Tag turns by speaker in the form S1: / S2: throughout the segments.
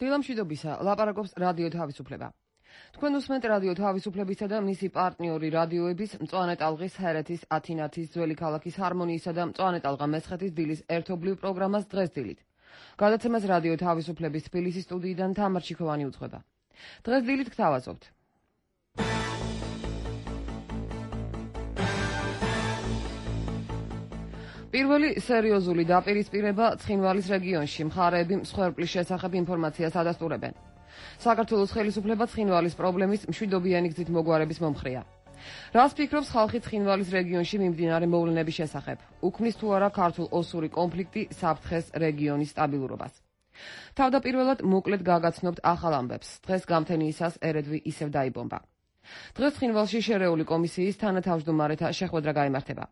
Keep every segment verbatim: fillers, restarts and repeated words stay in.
S1: დილამშვიდობისა, ლაპარაკობს რადიო თავისუფლება. თქვენ უსმენთ რადიო თავისუფლებისა და მისი პარტნიორი რადიოების მწვანე ტალღის, ჰერეთის, ათინათის, ძველი ქალაქის ჰარმონიისა და მწვანე ტალღა მესხეთის დილის ერთობლივ პროგრამას დღეს დილით. გადაცემას რადიო თავისუფლების თბილისის სტუდიიდან თამარ ჩიქოვანი უძღვება. დღეს დილით გთავაზობთ. პირველი სერიოზული დაპირისპირება ცხინვალის რეგიონში მხარეები მსხვერპლის შესახებ ინფორმაციას ადასტურებენ. საქართველოს ხელისუფლება ცხინვალის პრობლემის მშვიდობიანი გზით მოგვარების მომხრეა. რას ფიქრობს ხალხი ცხინვალის რეგიონში მიმდინარე მოვლენების შესახებ? უქმნის თუ არა ქართულ-ოსური კონფლიქტი საფრთხეს რეგიონის სტაბილურობას? თავდაპირველად მოკლედ გაგაცნობთ ახალ ამბებს. დღეს გამთენიისას ერედვი ისევ დაიბომბა. დღეს ცხინვალში შერეული კომისიის თანათავმჯდომარეთა შეხვედრა გაიმართება.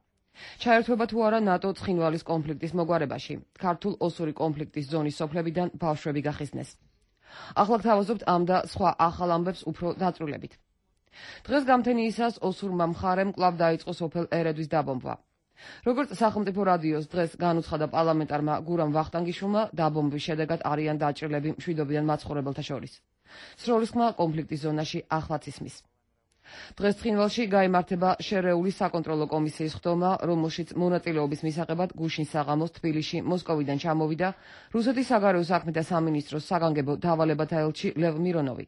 S1: ჩაერთვება თუ არა ნატო ცხინვალის კონფლიქტის მოგვარებაში, ქართულ-ოსური კონფლიქტის ზონის სოფლებიდან ბავშვები გახიზნეს. ახლა გთავაზობთ ამ და სხვა ახალ ამბებს უფრო დაწვრილებით. დღეს გამთენიისას ოსურმა მხარემ კვლავ დაიწყო სოფელ ერედვის დაბომბვა. როგორც სახელმწიფო რადიოს დღეს განუცხადა პარლამენტარმა გურამ ვახტანგიშვილმა, დაბომბვის შედეგად არიან დაჭრილები მშვიდობიან მაცხოვრებელთა შორის. სროლის ხმა კონფლიქტის ზონაში ახლაც ისმის. დღეს ცხინვალში გაიმართება შერეული საკონტროლო კომისიის ხდომა, რომელშიც მონაწილეობის მისაღებად გუშინ საღამოს თბილისში მოსკოვიდან ჩამოვიდა რუსეთის საგარეო საქმეთა სამინისტროს საგანგებო დავალებათა ელჩი ლევ მირონოვი.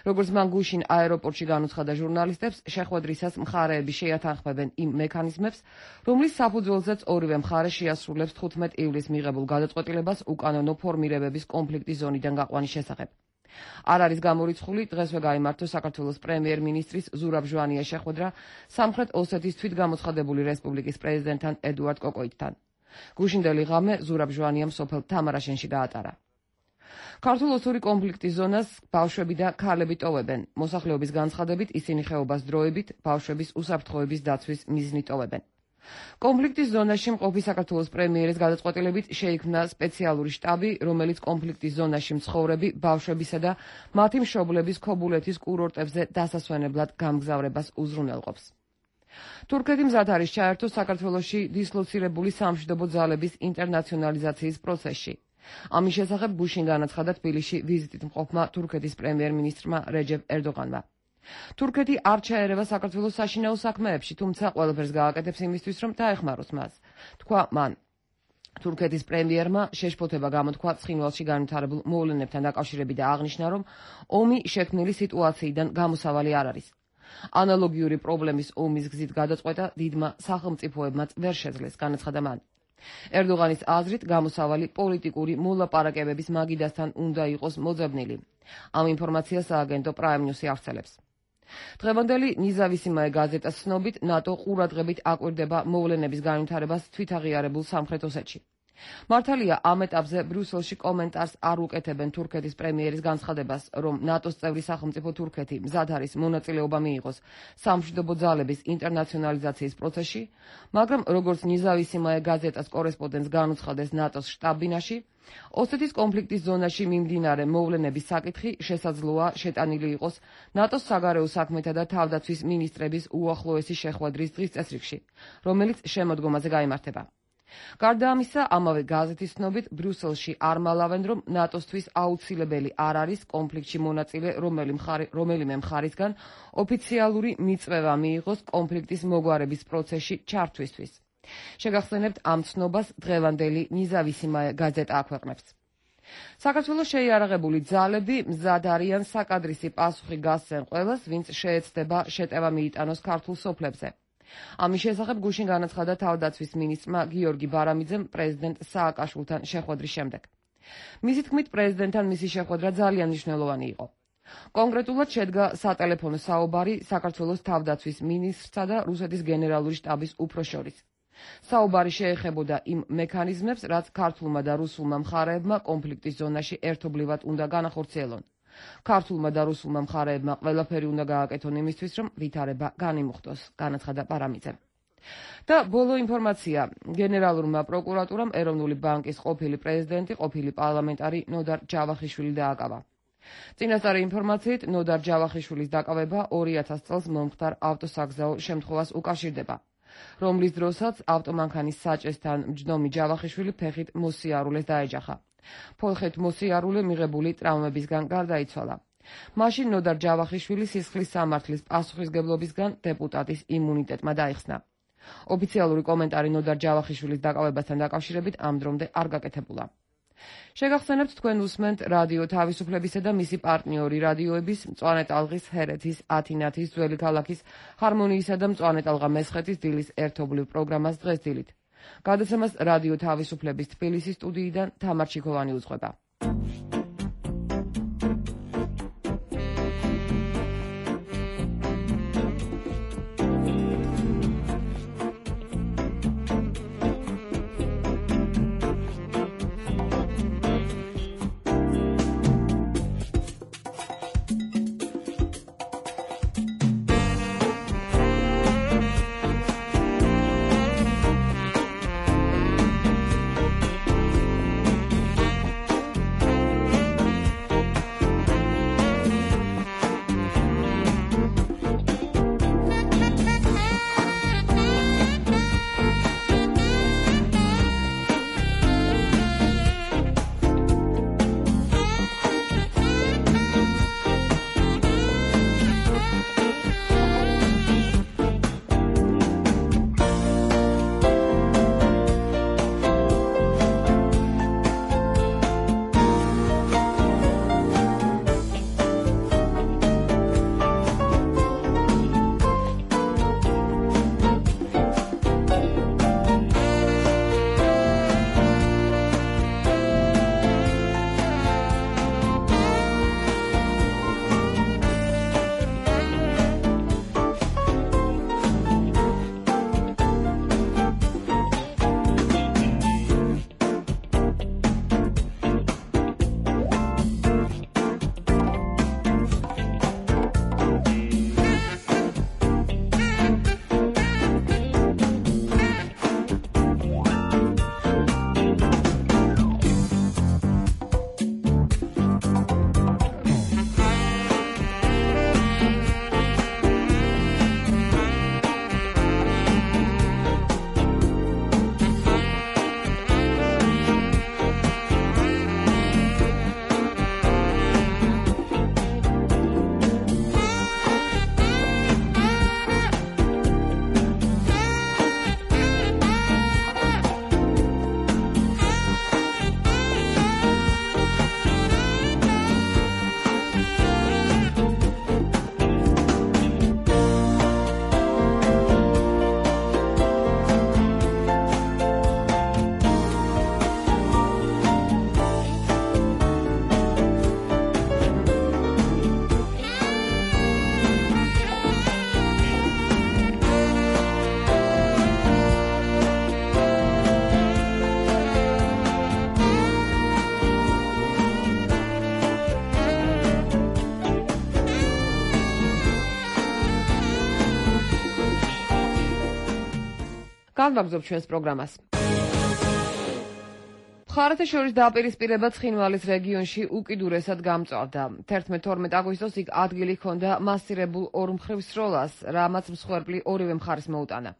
S1: როგორც მან გუშინ აეროპორტში განუცხადა ჟურნალისტებს, შეხვედრისას მხარეები შეათანხმებენ იმ მექანიზმებს, რომლის საფუძველზეც ორივე მხარე შეასრულებს თხუთმეტ ივლისს მიღებულ გადაწყვეტილებას უკანონო ფორმირებების კონფლიქტის ზონიდან გაყვანის შესახებ. არ არის გამორიცხული დღესვე გაიმართო საქართველოს პრემიერ-მინისტრის ზურაბ ჟვანიას შეხვედრა სამხრეთ ოსეთის თვითგამოცხადებული რესპუბლიკის პრეზიდენტთან ედუარდ კოკოიტთან. გუშინდელი ღამე ზურაბ ჟვანიამ სოფელ თამარაშენში გაატარა. ქართულ-ოსური კონფლიქტის ზონას ბავშვები და ქალები ტოვებენ. მოსახლეობის განცხადებით ისინი ხეობას დროებით ბავშვების უსაფრთხოების დაცვის მიზნით ტოვებენ. კონფლიქტის ზონაში მყოფი საქართველოს პრემიერის გადაწყვეტილებით შეიქმნა სპეციალური შტაბი, რომელიც კონფლიქტის ზონაში მცხოვრები ბავშვებისა და მათი მშობლების ქობულეთის კურორტებზე დასასვენებლად გამგზავრებას უზრუნველყოფს. თურქეთი მზად არის ჩაერთოს საქართველოში დისლოცირებული სამშვიდობო ძალების ინტერნაციონალიზაციის პროცესში. ამის შესახებ გუშინ განაცხადა თბილისში ვიზიტით მყოფმა თურქეთის პრემიერ-მინისტრმა რეჯეპ ერდოღანმა. თურქეთი არ ჩაერევა საქართველოს საშინაო საქმეებში, თუმცა ყველაფერს გააკეთებს იმისთვის, რომ დაეხმაროს მას, თქვა მან. თურქეთის პრემიერმა შეშფოთება გამოთქვა ცხინვალში განვითარებულ მოვლენებთან დაკავშირებით და აღნიშნა, რომ ომი შექმნილი სიტუაციიდან გამოსავალი არ არის. ანალოგიური პრობლემის ომის გზით გადაწყვეტა დიდმა სახელმწიფოებმაც ვერ შეძლეს, განაცხადა მან. ერდოღანის აზრით გამოსავალი პოლიტიკური მოლაპარაკებების მაგიდასთან უნდა იყოს მოძებნილი. ამ ინფორმაციას სააგენტო პრაიმ ნიუსი ავრცელებს. დღევანდელი ნიზავისიმაე გაზეტას ცნობით, ნატო ყურადღებით აკვირდება მოვლენების განვითარებას თვითაღიარებულ სამხრეთ ოსეთში. მართალია ამ ეტაპზე ბრიუსელში კომენტარს არ უკეთებენ თურქეთის პრემიერის განცხადებას, რომ ნატოს წევრი სახელმწიფო თურქეთი მზად არის მონაწილეობა მიიღოს სამშვიდობო ძალების ინტერნაციონალიზაციის პროცესში, მაგრამ როგორც ნიზავისიმაე გაზეტას კორესპონდენტს განუცხადეს ნატოს შტაბ-ბინაში, ოსეთის კონფლიქტის ზონაში მიმდინარე მოვლენების საკითხი შესაძლოა შეტანილი იყოს ნატოს საგარეო საქმეთა და თავდაცვის მინისტრების უახლოესი შეხვედრის დღის წესრიგში, რომელიც შემოდგომაზე გაიმართება. გარდა ამისა, ამავე გაზეთის ცნობით, ბრიუსელში არ მალავენ, რომ ნატოსთვის აუცილებელი არ არის კონფლიქტში მონაწილე რომელიმე მხარისგან ოფიციალური მიწვევა მიიღოს კონფლიქტის მოგვარების პროცესში ჩართვისთვის. შეგახსენებთ ამ ცნობას დღევანდელი ნიზავისიმაე გაზეტა აქვეყნებს. საქართველოს შეიარაღებული ძალები მზად არიან საკადრისი პასუხი გასცენ ყველას, ვინც შეეცდება შეტევა მიიტანოს ქართულ სოფლებზე. ამის შესახებ გუშინ განაცხადა თავდაცვის მინისტრმა გიორგი ბარამიძემ პრეზიდენტ სააკაშვილთან შეხვედრის შემდეგ. მისი თქმით, პრეზიდენტთან მისი შეხვედრა ძალიან მნიშვნელოვანი იყო. კონკრეტულად შედგა სატელეფონო საუბარი საქართველოს თავდაცვის მინისტრსა და რუსეთის გენერალური შტაბის უფროს შორის. საუბარი შეეხებოდა იმ მექანიზმებს, რაც ქართულმა და რუსულმა მხარეებმა კონფლიქტის ზონაში ერთობლივად უნდა განახორციელონ. ქართულმა და რუსულმა მხარეებმა ყველაფერი უნდა გააკეთონ იმისთვის, რომ ვითარება განიმუხტოს, განაცხადა პარამიძემ. და ბოლო ინფორმაცია, გენერალურმა პროკურატურამ ეროვნული ბანკის ყოფილი პრეზიდენტი, ყოფილი პარლამენტარი ნოდარ ჯავახიშვილი დააკავა. წინასწარი ინფორმაციით, ნოდარ ჯავახიშვილის დაკავება ორი ათას წელს მომხდარ ავტოსაგზაო შემთხვევას უკავშირდება. რომლის დროსაც ავტომანქანის საჭესთან მჯდომი ჯავახიშვილი ფეხით მოსიარულეს დაეჯახა. ფოლხეთ მოსიარულე მიღებული ტრაუმებისგან გარდაიცვალა. მაშინ ნოდარ ჯავახიშვილი სისხლის სამართლის პასუხისგებლობისგან დეპუტატის იმუნიტეტმა დაიხსნა. ოფიციალური კომენტარი ნოდარ ჯავახიშვილის დაკავებასთან დაკავშირებით ამ დრომდე არ გაკეთებულა. შეგახსენებთ, თქვენ უსმენთ რადიო თავისუფლებისა და მისი პარტნიორი რადიოების მწვანე ტალღის, ჰერეთის, ათინათის, ძველი ქალაქის, ჰარმონიისა და მწვანე ტალღა მესხეთის დილის ერთობლივ პროგრამას დღეს დილით. გადაცემას რადიო თავისუფლების თბილისის სტუდიიდან თამარ ჩიქოვანი უძღვება. განვაგრძობ ჩვენს პროგრამას. მხარეთა შორის დაპირისპირება ცხინვალის რეგიონში უკიდურესად გამწვავდა. თერთმეტ-თორმეტ აგვისტოს იქ ადგილი ჰქონდა მასირებულ ორმხრივ სროლას, რამაც მსხვერპლი ორივე მხარეს მოუტანა.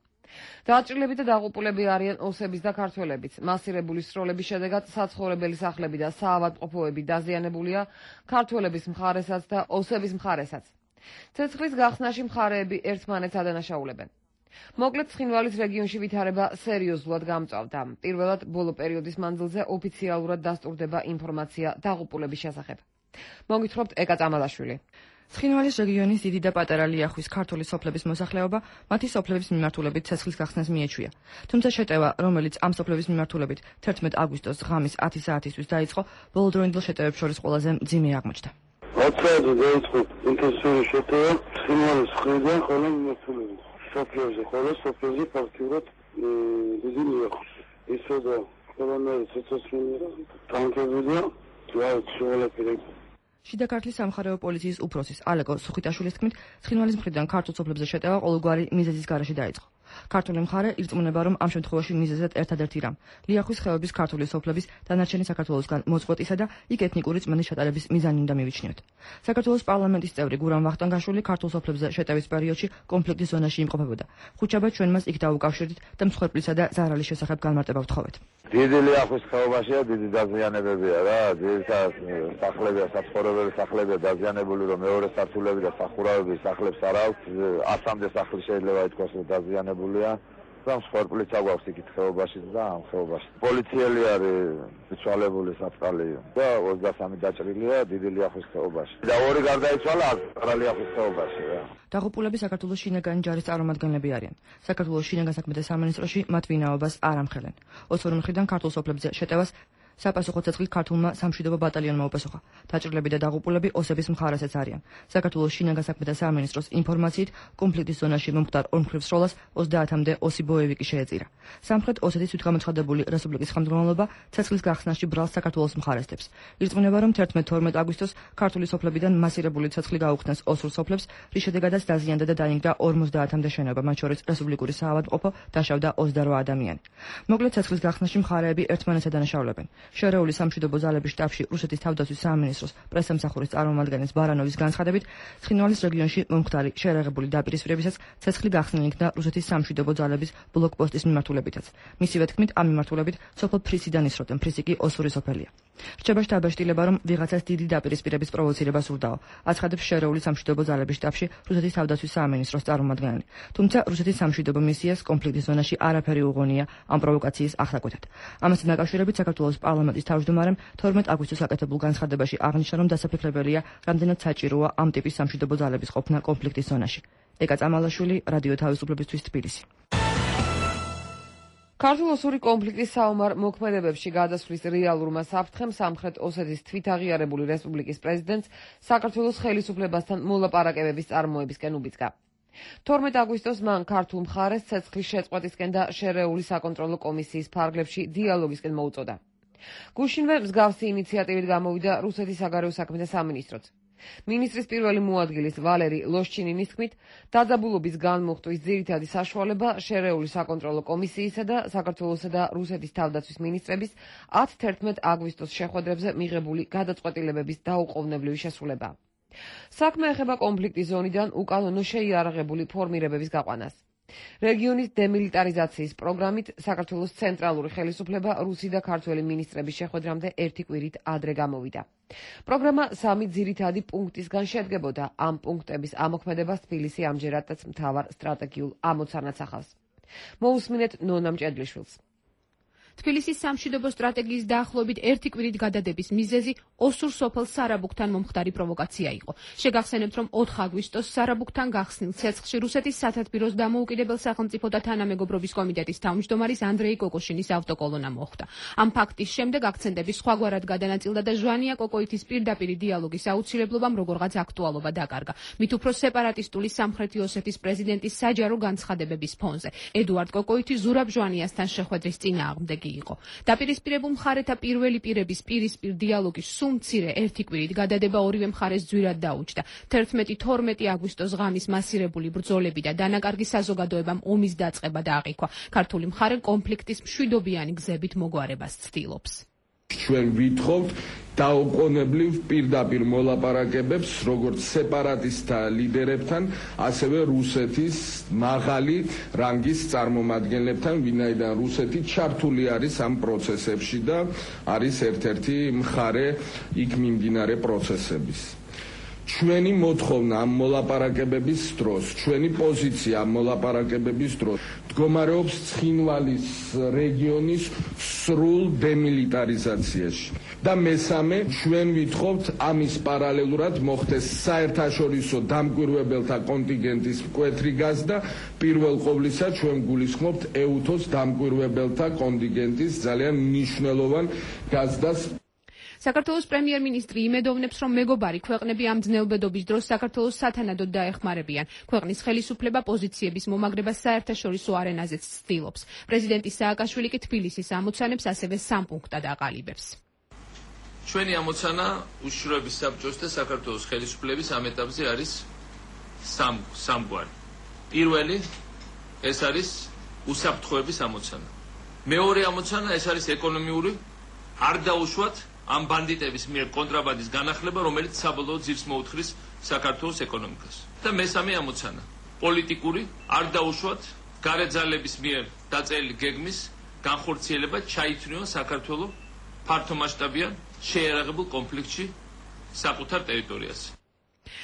S1: დაჭრილები და დაღუპულები არიან ოსების და ქართველებიც. მასირებული სროლების შედეგად საცხოვრებელი სახლები და საავადმყოფოები დაზიანებულია ქართველების მხარესაც და ოსების მხარესაც. ცეცხლის გახსნაში მხარეები ერთმანეთს ადანაშაულებენ. მოკლედ, ცხინვალის რეგიონში ვითარება სერიოზულად გამწვავდა. პირველად, ბოლო პერიოდის მანძილზე ოფიციალურად დასტურდება ინფორმაცია დაღუპულების შესახებ. მოგითხრობთ ეკა წამალაშვილი.
S2: ცხინვალის რეგიონის დიდი და პატარა ლიახვის ქართული სოფლების მოსახლეობა მათი სოფლების მიმართულებით ცეცხლის გახსნას მიეჩვია. თუმცა შეტევა, რომელიც ამ სოფლების მიმართულებით თერთმეტ აგვისტოს ღამის ათი საათისთვის დაიწყო, ბოლო დროინდელ შეტევებს შორის ყველაზე მძიმე აღმოჩნდა.
S3: ათ საათზე დაიწყო ინტენსიური შეტევა ცხინვალის მხრიდან ხოლო მიმართულებით. სოფლებზე, ხოლო სოფლებზე ფაქტიურად დიდი ლიახვის. ისე და ყველანაირი ცეცხლსმენია, ტანკები და ყველაფერი.
S2: შიდა ქართლის სამხარეო პოლიციის უფროსის ალეკო სუხიტაშვილის თქმით, ცხინვალის მხრიდან ქართულ სოფლებზე შეტევა ყოველგვარი მიზეზის გარეშე დაიწყო. ქართული მხარე ირწმუნება, რომ ამ შემთხვევაში მიზეზად ერთადერთი რამ ლიახვის ხეობის ქართული სოფლების დანარჩენი საქართველოსგან მოწყვეტისა და იქ ეთნიკური წმენდის ჩატარების მიზანი უნდა მივიჩნიოთ. საქართველოს პარლამენტის წევრი გურამ ვახტანგაშვილი ქართულ სოფლებზე შეტევის პერიოდში კონფლიქტის ზონაში იმყოფებოდა. ხუთშაბათ ჩვენ მას იქ დაუკავშირდით და მსხვერპლისა და ზარალის შესახებ განმარტება ვთხოვეთ.
S4: დიდი ლიახვის ხეობაშია დიდი დაზიანებებია რა, ძირითადად სახლებია, საცხოვრებელი სახლებია დაზიანებული, რომ მეორე სართულები და სახურავები სახლებს არ აქვს, ასამდე სახლი შეიძლება ითქვას, რომ დაზიანებულია. და მსხვერპლიც აგვაქვს იქით ხეობაში და ამ ხეობაში. პოლიციელი არის მიცვალებული საწყალი და ოცდასამი დაჭრილია დიდი ლიახვის ხეობაში. და ორი გარდაიცვალა არა ლიახვის ხეობაში რა.
S2: დაღუპულები საქართველოს შინაგანი ჯარის წარმომადგენლები არიან. საქართველოს შინაგან საქმეთა სამინისტროში მათ ვინაობას არ ამხელენ. ოცი მხრიდან ქართულ სოფლებზე შეტევას საპასუხო ცეცხლით ქართულმა სამშვიდობო ბატალიონმა უპასუხა. დაჭრილები და დაღუპულები ოსების მხარესაც არიან. საქართველოს შინაგან საქმეთა სამინისტროს ინფორმაციით, კონფლიქტის ზონაში მომხდარ ორმხრივ სროლას ოცდაათამდე ოსი ბოევიკი შეეწირა. სამხრეთ ოსეთის თვითგამოცხადებული რესპუბლიკის ხელმძღვანელობა ცეცხლის გახსნაში ბრალს საქართველოს მხარესდებს. ირწმუნება, რომ თერთმეტ თორმეტ აგვისტოს ქართული სოფლებიდან მასირებული ცეცხლი გაუხსნეს ოსურ სოფლებს, რის შედეგადაც დაზიანდა და დაინგრა ორმოცდაათამდე შენობა, მათ შორის რესპუბლიკური საავადმყოფო, დაშავდა ოცდარვა ადამიანი. მოკლედ ცეცხლის გახსნაში მხარეები ერთმანეთს ადანაშაულებენ. შერეული სამშვიდობო ძალების შტაბში რუსეთის თავდაცვის სამინისტროს პრესამსახურის წარმომადგენლის ბარანოვის განცხადებით, ცხინვალის რეგიონში მომხდარი შერეღებული დაპირისპირებისას ცეცხლი გახსნილი იქნა რუსეთის სამშვიდობო ძალების ბლოკპოსტის მიმართულებითაც. მისივე თქმით, ამ მიმართულებით სოფელ ფრისიდან ისროდნენ, ფრისი კი ოსური სოფელია. რჩება შტაბაშტილება, რომ ვიღაცას დიდი დაპირისპირების პროვოცირება სურდაო. აცხადებს შერეული სამშვიდობო ძალების შტაბში რუსეთის თავდაცვის სამინისტროს წარმომადგენელი. თუმცა რუსეთის სამშვიდობო მისიას კონფლიქტის ზონაში არაფერი უღონია ამ პროვოკაციის ახსაკუთრად. ამასთან დაკავშირებით საქართველოს პარლამენტის თავმჯდომარემ თორმეტ აგვისტოს აკეთებულ განცხადებაში აღნიშნა, რომ დასაფიქრებელია, რამდენად საჭიროა ამ ტიპის სამშვიდობო ძალების ყოფნა კონფლიქტის ზონაში. ეკა წამალაშვილი, რადიო თავისუფლებისთვის, თბილისი.
S1: ქართულ-ოსური კონფლიქტის საომარ მოქმედებებში გადასვლის რეალურმა საფრთხემ სამხრეთ ოსეთის თვითაღიარებული რესპუბლიკის პრეზიდენტს საქართველოს ხელისუფლებასთან მოლაპარაკებების წარმოებისკენ უბიძგა. თორმეტ აგვისტოს მან ქართულ მხარეს ცეცხლის შეწყვეტისკენ და შერეული საკონტროლო კომისიის ფარგლებში დიალოგისკენ მოუწოდა. გუშინვე მსგავსი ინიციატივით გამოვიდა რუსეთის საგარეო საქმეთა სამინისტროც. მინისტრის პირველი მოადგილის ვალერი ლოშჩინინის თქმით, დაძაბულობის განმუხტვის ძირითადი საშუალება შერეული საკონტროლო კომისიისა და საქართველოსა და რუსეთის თავდაცვის მინისტრების ათი-თერთმეტ აგვისტოს შეხვედრებზე მიღებული გადაწყვეტილებების დაუყოვნებლივი შესრულებაა. საქმე ეხება კონფლიქტის ზონიდან უკანონო შეიარაღებული ფორმირებების გაყვანას. რეგიონის დემილიტარიზაციის პროგრამით საქართველოს ცენტრალური ხელისუფლება რუსი და ქართველი მინისტრების შეხვედრამდე ერთი კვირით ადრე გამოვიდა. პროგრამა სამი ძირითადი პუნქტისგან შედგებოდა. ამ პუნქტების ამოქმედებას თბილისი ამჯერადაც მთავარ სტრატეგიულ ამოცანას ახავს. მოусმინეთ ნონა მჭედლიშვილს.
S5: თბილისის სამშვიდობო სტრატეგიის დაახლოებით ერთი კვირით გადადების მიზეზი ოსურ სოფელ სარაბუქთან მომხდარი პროვოკაცია იყო. შეგახსენებთ, რომ ოთხ აგვისტოს სარაბუქთან გახსნილ ცეცხლში რუსეთის სათათბიროს დამოუკიდებელ სახელმწიფო და თანამეგობრობის კომიტეტის თავმჯდომარის ანდრეი კოკოშინის ავტოკოლონა მოხვდა. ამ ფაქტის შემდეგ აქცენტები სხვაგვარად გადანაწილდა და ჟვანია კოკოითის პირდაპირი დიალოგის აუცილებლობამ როგორღაც აქტუალობა დაკარგა. მით უფრო სეპარატისტული სამხრეთი ოსეთის პრეზიდენტის საჯარო განცხადებების ფონზე. ედუარდ კოკოითი ზურაბ ჟვანიასთან შეხვედრის წინააღმდეგ იყო. დაპირისპირებულ მხარეთა პირველი პირების პირისპირ დიალოგის სულ მცირე ერთი კვირით გადადება ორივე მხარეს ძვირად დაუჯდა. თერთმეტი-თორმეტი აგვისტოს ღამის მასირებული ბრძოლები და დანაკარგი საზოგადოებამ ომის დაწყება დააღიქვა. ქართული მხარე კონფლიქტის მშვიდობიანი გზებით მოგვარებას ცდილობს.
S6: ჩვენ ვითხოვთ დაუყოვნებლივ პირდაპირ მოლაპარაკებებს როგორც სეპარატისტთა ლიდერებთან, ასევე რუსეთის მაღალი რანგის წარმომადგენლებთან, ვინაიდან რუსეთი ჩართული არის ამ პროცესებში და არის ერთ-ერთი მხარე იქ მიმდინარე პროცესების. ჩვენი მოთხოვნა ამ მოლაპარაკებების დროს, ჩვენი პოზიცია ამ მოლაპარაკებების დროს მდგომარეობს ცხინვალის რეგიონის სრულ დემილიტარიზაციაში. და მესამე, ჩვენ ვითხოვთ ამის პარალელურად მოხდეს საერთაშორისო დამკვირვებელთა კონტინგენტის მკვეთრი გაზრდა, პირველ ყოვლისა ჩვენ გულისხმობთ ეუთოს დამკვირვებელთა კონტინგენტის ძალიან მნიშვნელოვან გაზრდას.
S5: საქართველოს პრემიერ-მინისტრი იმედოვნებს, რომ მეგობარი ქვეყნები ამ ძნელბედობის დროს საქართველოს სათანადოდ დაეხმარებიან. ქვეყნის ხელისუფლება პოზიციების მომაგრებას საერთაშორისო არენაზეც ცდილობს. პრეზიდენტი სააკაშვილი კი თბილისის ამოცანებს ასევე სამ პუნქტად აყალიბებს.
S7: ჩვენი ამოცანა უშიშროების საბჭოს და საქართველოს ხელისუფლების ამ ეტაპზე არის სამ სამგვარი. პირველი ეს არის უსაფრთხოების ამოცანა. მეორე ამოცანა ეს არის ეკონომიური არ დაუშვათ ამ ბანდიტების მიერ კონტრაბანდის განახლება, რომელიც საბოლოოდ ძირს მოუთხრის საქართველოს ეკონომიკას. და მესამე ამოცანა პოლიტიკური არ დაუშვათ გარეძალების მიერ დაწერილი გეგმის განხორციელება ჩაითვლიან საქართველოს ფართომასშტაბიან შეიარაღებულ კონფლიქტში საკუთარ ტერიტორიაზე.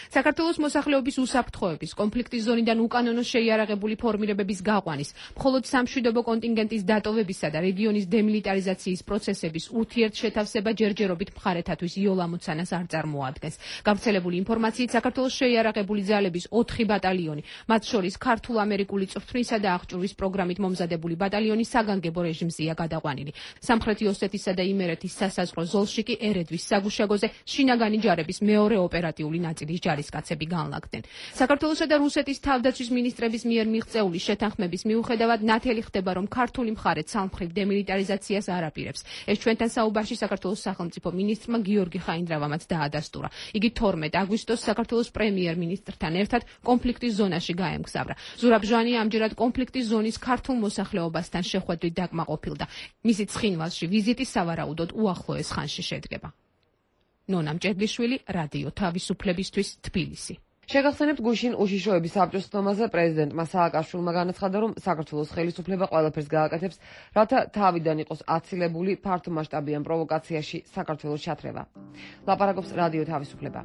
S5: საქართველოს მოსახლეობის უსაფრთხოების, კონფლიქტის ზონიდან უკანონო შეიარაღებული ფორმირებების გაყვანის, მხოლოდ სამშვიდობო კონტინგენტის დატოვებისა და რეგიონის დემილიტარიზაციის პროცესების ურთიერთშეთავსება ჯერჯერობით მხარეთათვის იოლ ამოცანას არ წარმოადგენს. გავრცელებული ინფორმაციით, საქართველოს შეიარაღებული ძალების ოთხი ბატალიონი, მათ შორის ქართულ-ამერიკული წვრთნისა და აღჭურვის პროგრამით მომზადებული ბატალიონი საგანგებო რეჟიმზეა გადაყვანილი. სამხრეთი ოსეთის და იმერეთის სასაზღვრო ზოლში კი ერედვის საგუშაგოზე შინაგანი ჯარების მეორე ოპერატიული ნაწილი ჯარისკაცები განლაგდნენ. საქართველოსა და რუსეთის თავდაცვის მინისტრების მიერ მიღწეული შეთანხმების მიუხედავად ნათელი ხდება, რომ ქართული მხარე ცალმხრივ დემილიტარიზაციას არ აპირებს. ეს ჩვენთან საუბარში საქართველოს სახელმწიფო მინისტრმა გიორგი ხაინდრავამაც დაადასტურა. იგი თორმეტ აგვისტოს საქართველოს პრემიერ-მინისტრთან ერთად კონფლიქტის ზონაში გაემგზავრა. ზურაბ ჟვანია ამჯერად კონფლიქტის ზონის ქართულ მოსახლეობასთან შეხვედრით დაკმაყოფილდა. მისი ცხინვალში ვიზიტი სავარაუდოდ უახლოეს ხანში შედგება. ნონა მჭედლიშვილი, რადიო თავისუფლებისთვის, თბილისი.
S1: შეგახსენებთ გუშინ უშიშროების საბჭოს ხდომაზე პრეზიდენტმა სააკაშვილმა განაცხადა, რომ საქართველოს ხელისუფლება ყველაფერს გააკეთებს, რათა თავიდან იყოს აცილებული ფართომასშტაბიან პროვოკაციაში საქართველოს ჩათრევა. ლაპარაკობს რადიო თავისუფლება.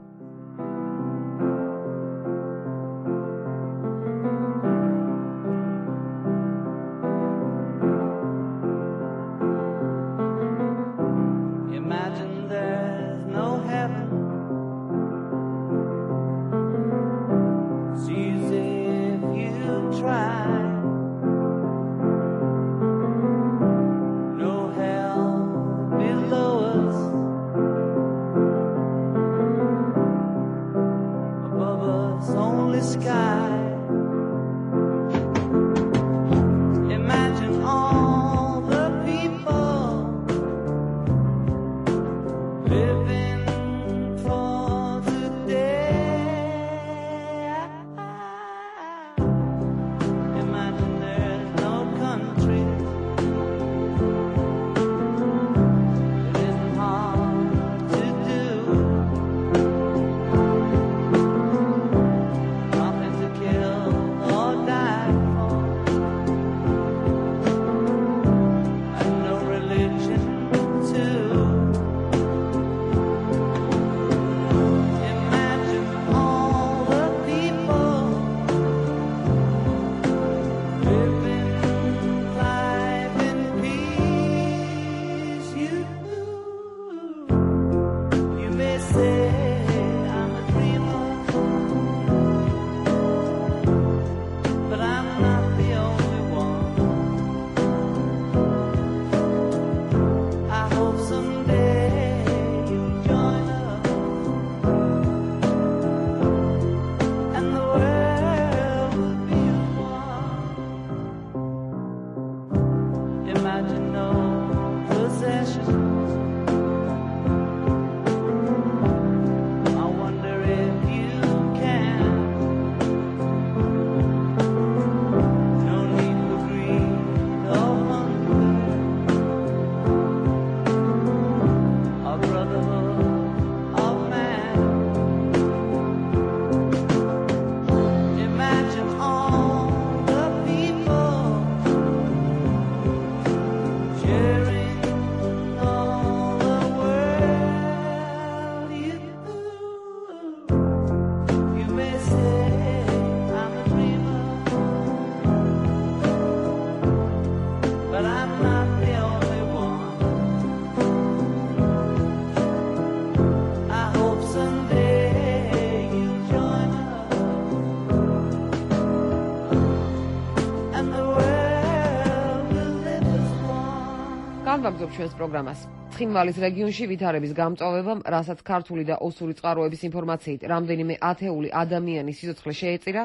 S1: განვაგრძობ ჩვენს პროგრამას. ცხინვალის რეგიონში ვითარების გამწვავებამ, რასაც ქართული და ოსური წყაროების ინფორმაციით რამდენიმე ათეული ადამიანის სიცოცხლე შეეწირა,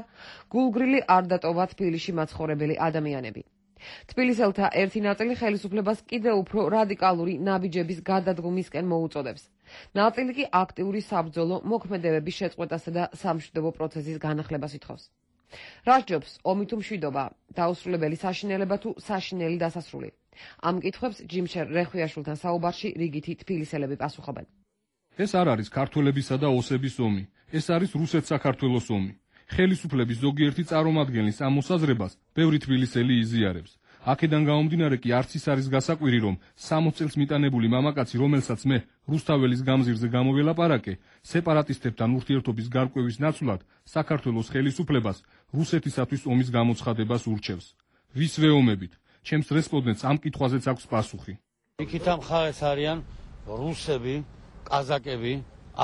S1: გულგრილი არ დატოვა თბილისში მაცხოვრებელი ადამიანები. თბილისელთა ერთი ნაწილი ხელისუფლებას კიდევ უფრო რადიკალური ნაბიჯების გადადგომისკენ მოუწოდებს. ნაწილი კი აქტიური საბრძოლო მოქმედებების შეწყვეტასა და სამშვიდობო პროცესის განახლებას ითხოვს. რას ჯობს ომი თუ მშვიდობა, დაუსრულებელი საშინელება თუ საშინელი დასასრული? ამ კითხვებს ჯიმშერ რეხვიაშვილთან საუბარში რიგითი თბილისელები პასუხობენ.
S8: ეს არ არის ქართველებისა და ოსების ომი, ეს არის რუსეთ-საქართველოს ომი. ხელისუფლების ზოგიერთი წარმომადგენლის ამ მოსაზრებას ბევრი თბილისელი იზიარებს. აქედან გამომდინარე კი არც ის არის გასაკვირი, რომ სამოცი წელს მიტანებული მამაკაცი, რომელსაც მე რუსთაველის გამზირზე გამოველაპარაკე, სეპარატისტებთან ურთიერთობის გარკვევის ნაცვლად საქართველოს ხელისუფლებას რუსეთისათვის ომის გამოცხადებას ურჩევს. ვის ვეომებით? ჩემს რესპონდენტს ამ კითხვაზეც აქვს პასუხი.
S9: იქით ამ ხარეს არიან რუსები, კაზაკები,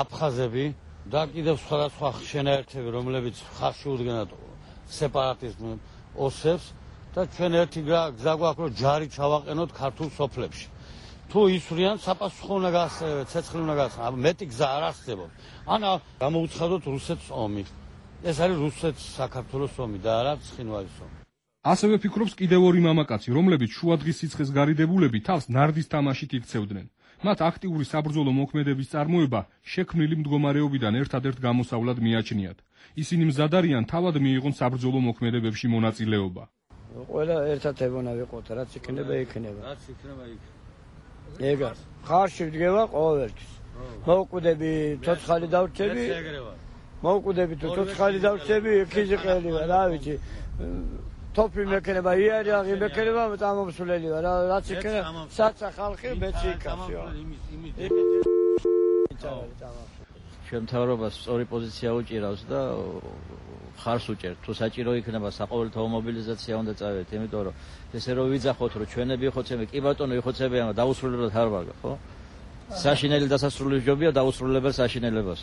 S9: აფხაზები და კიდევ სხვადასხვა შენაერთები, რომლებიც ხარში უდგენათ სეპარატიზმ ოსებს და ჩვენ ერთი გზა გვაქვს, რომ ჯარი ჩავაყენოთ ქართულ სოფლებში. თუ ისვრიან, საპასუხო უნდა გასცემთ, ცეცხლი უნდა გასცემთ, მეტი გზა არ არსებობს. ან გამოუცხადოთ რუსეთს ომი. ეს არის რუსეთ-საქართველოს ომი და არა ცხინვალის ომი.
S8: ასევე ფიქრობს კიდევ ორი მამაკაცი, რომლებიც შუადღის სიცხეს გარიდებულები თავს ნარდის თამაშით იქცევდნენ. მათ აქტიური საბრძოლო მოქმედების წარმოება შექმნილი მდგომარეობიდან ერთადერთ გამოსავლად მიაჩნიათ. ისინი მზად არიან თავად მიიღონ საბრძოლო მოქმედებებში მონაწილეობა.
S10: ყველა ერთად ებონა ვიყოთ, რაც იქნება, იქნება.
S9: რაც იქნება, იქნება.
S10: ეგა, ხარში ვდგება ყოველთვის. მოვკვდები, ცოცხალი დავრჩები. მოვკვდები თუ ცოცხალი დავრჩები, ქიზიყელი ვარ, რა ვიცი. თოფი მექნება, იარაღი მექნება, წამომსვლელი ვარ, რაც იქნება, საცა ხალხი მეცი იქასიო.
S11: ჩვენ მთავრობას სწორი პოზიცია უჭირავს და ხარს უჭერთ. თუ საჭირო იქნება საყოველთაო მობილიზაცია უნდა წავედით, იმიტომ რომ ესე რომ ვიძახოთ, რომ ჩვენები იხოცებენ, კი ბატონო იხოცებიან, დაუსრულებლად არ ვარ, ხო? საშინელი დასასრული ჯობია დაუსრულებელ საშინელებას.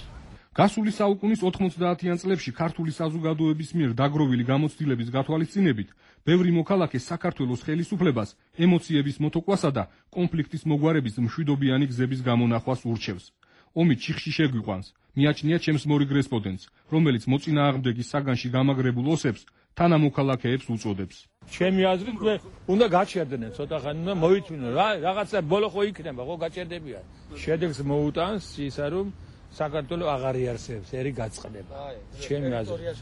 S8: გასული საუკუნის ოთხმოცდაათიან წლებში ქართული საზოგადოების მიერ დაგროვილი გამოცდილების გათვალისწინებით, ბევრი მოქალაქე საქართველოს ხელისუფლებას ემოციების მოტოკვასა და კონფლიქტის მოგვარების მშვიდობიანი გზების გამონახვას ურჩევს. ომი ჩიხში შეგვიყვანს, მიაჩნია ჩემს მორიგ რესპონდენტს, რომელიც მოწინააღმდეგის საგანში გამაგრებულ ოსებს თანამოქალაქეებს უწოდებს.
S12: ჩემი აზრით მე უნდა გაჩერდნენ ცოტა ხანი, უნდა მოიწვინონ რა, რაღაცა ბოლო ხო იქნება, ხო გაჩერდებიან. შედეგს მოუტანს ისა რომ საქართველოს აღარ იარსებს, ერი გაწყდება. ჩემი აზრით.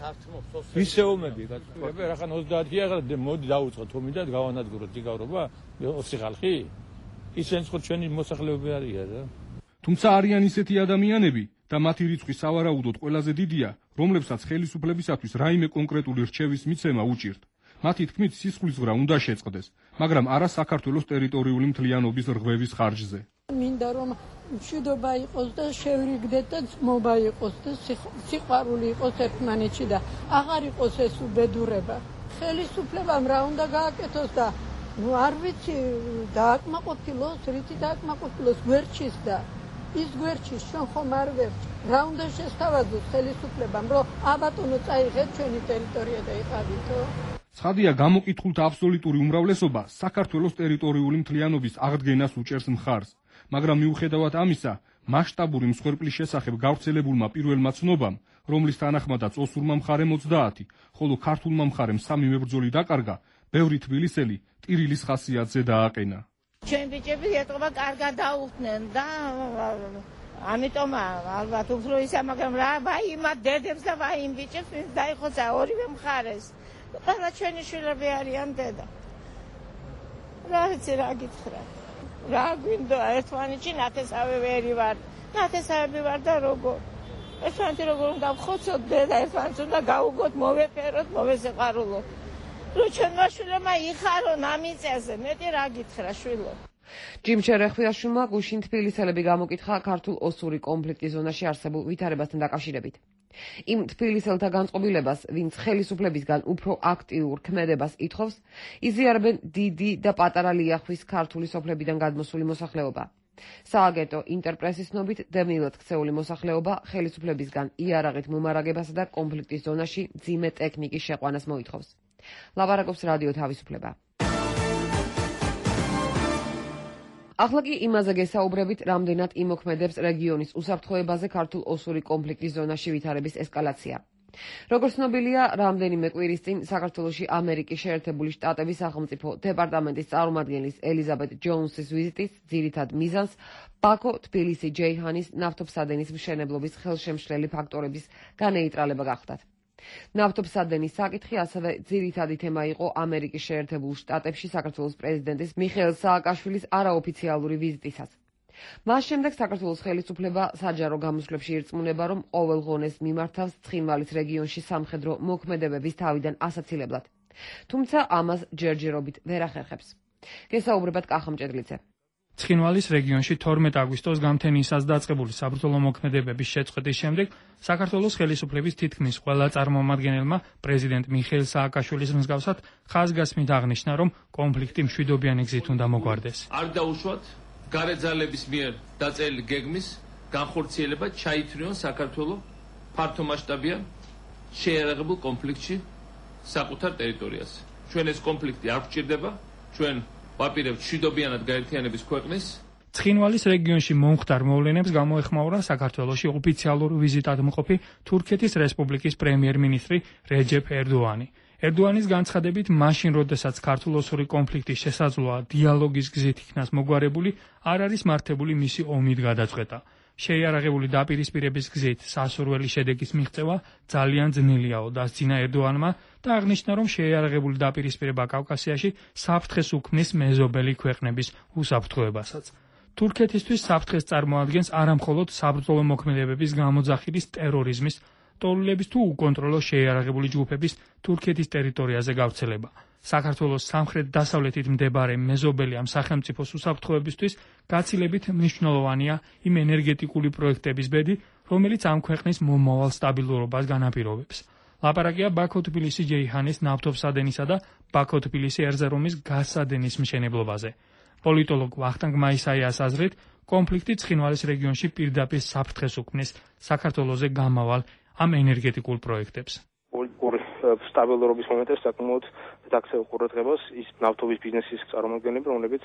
S12: ისე ომები გაწყდება, რახან ოცდაათია, მოდი დაუწყოთ ომი და გავანადგუროთ იგავრობა, ოცი ხალხი. ისინი ხო ჩვენი მოსახლეობები არიან რა.
S8: თუმცა არიან ისეთი ადამიანები და მათი რიცხვი სავარაუდოდ ყველაზე დიდია, რომლებსაც ხელისუფლებისათვის რაიმე კონკრეტული რჩევის მიცემა უჭირთ. მათი თქმით, სისხლისღვრა უნდა შეწყდეს, მაგრამ არა საქართველოს ტერიტორიული მთლიანობის რღვევის ხარჯზე.
S13: მინდა რომ მშვიდობა იყოს და შევრიგდეთ და ძმობა იყოს და სიყვარული იყოს ერთმანეთში და აღარ იყოს ეს უბედურება. ხელისუფლებამ რა უნდა გააკეთოს და ნუ არ ვიცი დააკმაყოფილოს, რითი დააკმაყოფილოს გვერდჩის და ის გვერდჩის ჩვენ ხომ არ ვერჩ. რა უნდა შესთავაზოს ხელისუფლებამ, რომ აბატონო წაიღეთ ჩვენი ტერიტორია და იყავითო?
S8: ცხადია, გამოკითხულთა აბსოლუტური უმრავლესობა საქართველოს ტერიტორიული მთლიანობის აღდგენას უჭერს მხარს. მაგრამ მიუხედავად ამისა, მასშტაბური მსხვერპლის შესახებ გავრცელებულმა პირველმა ცნობამ, რომლის თანახმადაც ოსურმა მხარემ ოცდაათი, ხოლო ქართულმა მხარემ სამი მებრძოლი დაკარგა, ბევრი თბილისელი ტირილის ხასიათზე დააყენა.
S14: ჩვენ ბიჭები ეტყობა კარგად დაუხდნენ და ამიტომ ალბათ უფრო ისა, მაგრამ რა ვაიმა დედებს და ვაიმ ბიჭებს ვინც დაიხოცა ორივე მხარეს. ყველა ჩვენი შვილები არიან დედა. რა ვიცი რა გითხრა. რა გვინდა ერთმანეთში ნათესავე ვერი ვარ, ნათესავები ვარ და როგორ ერთმანეთი როგორ უნდა ვხოცოთ და ერთმანეთს უნდა გაუგოთ, მოვეფეროთ, მოვესეყარულოთ. რო ჩვენმა შვილებმა იხარონ ამ მიწაზე, მეტი რა გითხრა შვილო.
S1: ჯიმშერ რეხვიაშვილმა გუშინ თბილისელები გამოკითხა ქართულ-ოსური კონფლიქტის ზონაში არსებულ ვითარებასთან დაკავშირებით. იმ თბილისელთა განწყობილებას, ვინც ხელისუფლებისგან უფრო აქტიურ ქმედებას ითხოვს, იზიარებენ დიდი და პატარა ლიახვის ქართული სოფლებიდან გადმოსული მოსახლეობა. სააგენტო ინტერპრესის ცნობით, დევნილად ქცეული მოსახლეობა ხელისუფლებისგან იარაღით მომარაგებასა და კონფლიქტის ზონაში მძიმე ტექნიკის შეყვანას მოითხოვს. ლაპარაკობს რადიო თავისუფლება. ახლა კი იმაზე გესაუბრებით, რამდენად იმოქმედებს რეგიონის უსაფრთხოებაზე ქართულ-ოსური კონფლიქტის ზონაში ვითარების ესკალაცია. როგორც ცნობილია, რამდენიმე კვირის წინ საქართველოში ამერიკის შეერთებული შტატების სახელმწიფო დეპარტამენტის წარმომადგენლის ელიზაბეთ ჯოუნსის ვიზიტის ძირითად მიზანს ბაქო-თბილისი-ჯეიჰანის ნავთობსადენის მშენებლობის ხელშემშლელი ფაქტორების განეიტრალება გახდათ. ნავთობსადენის საკითხი ასევე ძირითადი თემა იყო ამერიკის შეერთებულ შტატებში საქართველოს პრეზიდენტის მიხეილ სააკაშვილის არაოფიციალური ვიზიტისას. მას შემდეგ საქართველოს ხელისუფლება საჯარო გამოსვლებში ირწმუნება, რომ ყოველ ღონეს მიმართავს ცხინვალის რეგიონში სამხედრო მოქმედებების თავიდან ასაცილებლად. თუმცა ამას ჯერჯერობით ვერ ახერხებს. გესაუბრებათ კახა მჭედლიძე.
S15: ცხინვალის რეგიონში თორმეტ აგვისტოს გამთენიისას დაწყებული საბრძოლო მოქმედებების შეწყვეტის შემდეგ საქართველოს ხელისუფლების თითქმის ყველა წარმომადგენელმა პრეზიდენტ მიხეილ სააკაშვილის მსგავსად ხაზგასმით აღნიშნა, რომ კონფლიქტი მშვიდობიანი გზით უნდა მოგვარდეს.
S7: არ დაუშვათ გარე ძალების მიერ დაწერილი გეგმის განხორციელება ჩაითვლიან საქართველოს ფართომასშტაბიან შეიარაღებულ კონფლიქტში საკუთარ ტერიტორიაზე. ჩვენ ეს კონფლიქტი არ გვჭირდება, ჩვენ ვაპირებთ მშვიდობიანად გაერთიანების ქვეყნის.
S15: ცხინვალის რეგიონში მომხდარ მოვლენებს გამოეხმაურა საქართველოში ოფიციალურ ვიზიტად მყოფი თურქეთის რესპუბლიკის პრემიერ-მინისტრი რეჯეფ ერდოანი. ერდოანის განცხადებით, მაშინ როდესაც ქართულ-ოსური კონფლიქტის შესაძლოა დიალოგის გზით იქნას მოგვარებული, არ არის მართებული მისი ომით გადაწყვეტა. შეიარაღებული დაპირისპირების გზით სასურველი შედეგის მიღწევა ძალიან ძნელიაო, დასძინა ერდოანმა და აღნიშნა, რომ შეიარაღებული დაპირისპირება კავკასიაში საფრთხეს უქმნის მეზობელი ქვეყნების უსაფრთხოებასაც. თურქეთისთვის საფრთხეს წარმოადგენს არამხოლოდ საბრძოლო მოქმედებების გამოძახილის ტერორიზმის, ტოლულების თუ უკონტროლო შეიარაღებული ჯგუფების თურქეთის ტერიტორიაზე გავრცელება. საქართველოს სამხრეთ-დასავლეთით მდებარე მეზობელი ამ სახელმწიფოს უსაფრთხოებისთვის გაცილებით მნიშვნელოვანია იმ ენერგეტიკული პროექტების ბედი, რომელიც ამ ქვეყნის მომავალ სტაბილურობას განაპირობებს. ლაპარაკია ბაქო-თბილისი-ჯეიჰანის ნავთობსადენისა და ბაქო-თბილისი ერზერომის გაზსადენის მშენებლობაზე. პოლიტოლოგ ვახტანგ მაისაიას აზრით, კონფლიქტი ცხინვალის რეგიონში პირდაპირ საფრთხეს უქმნის საქართველოზე გამავალ ამ ენერგეტიკულ პროექტებს.
S16: პოლიტიკური სტაბილურობის მომენტებს საკმაოდ დაქცეულ ყურადღებას ის ნავთობის ბიზნესის წარმომადგენლები, რომლებიც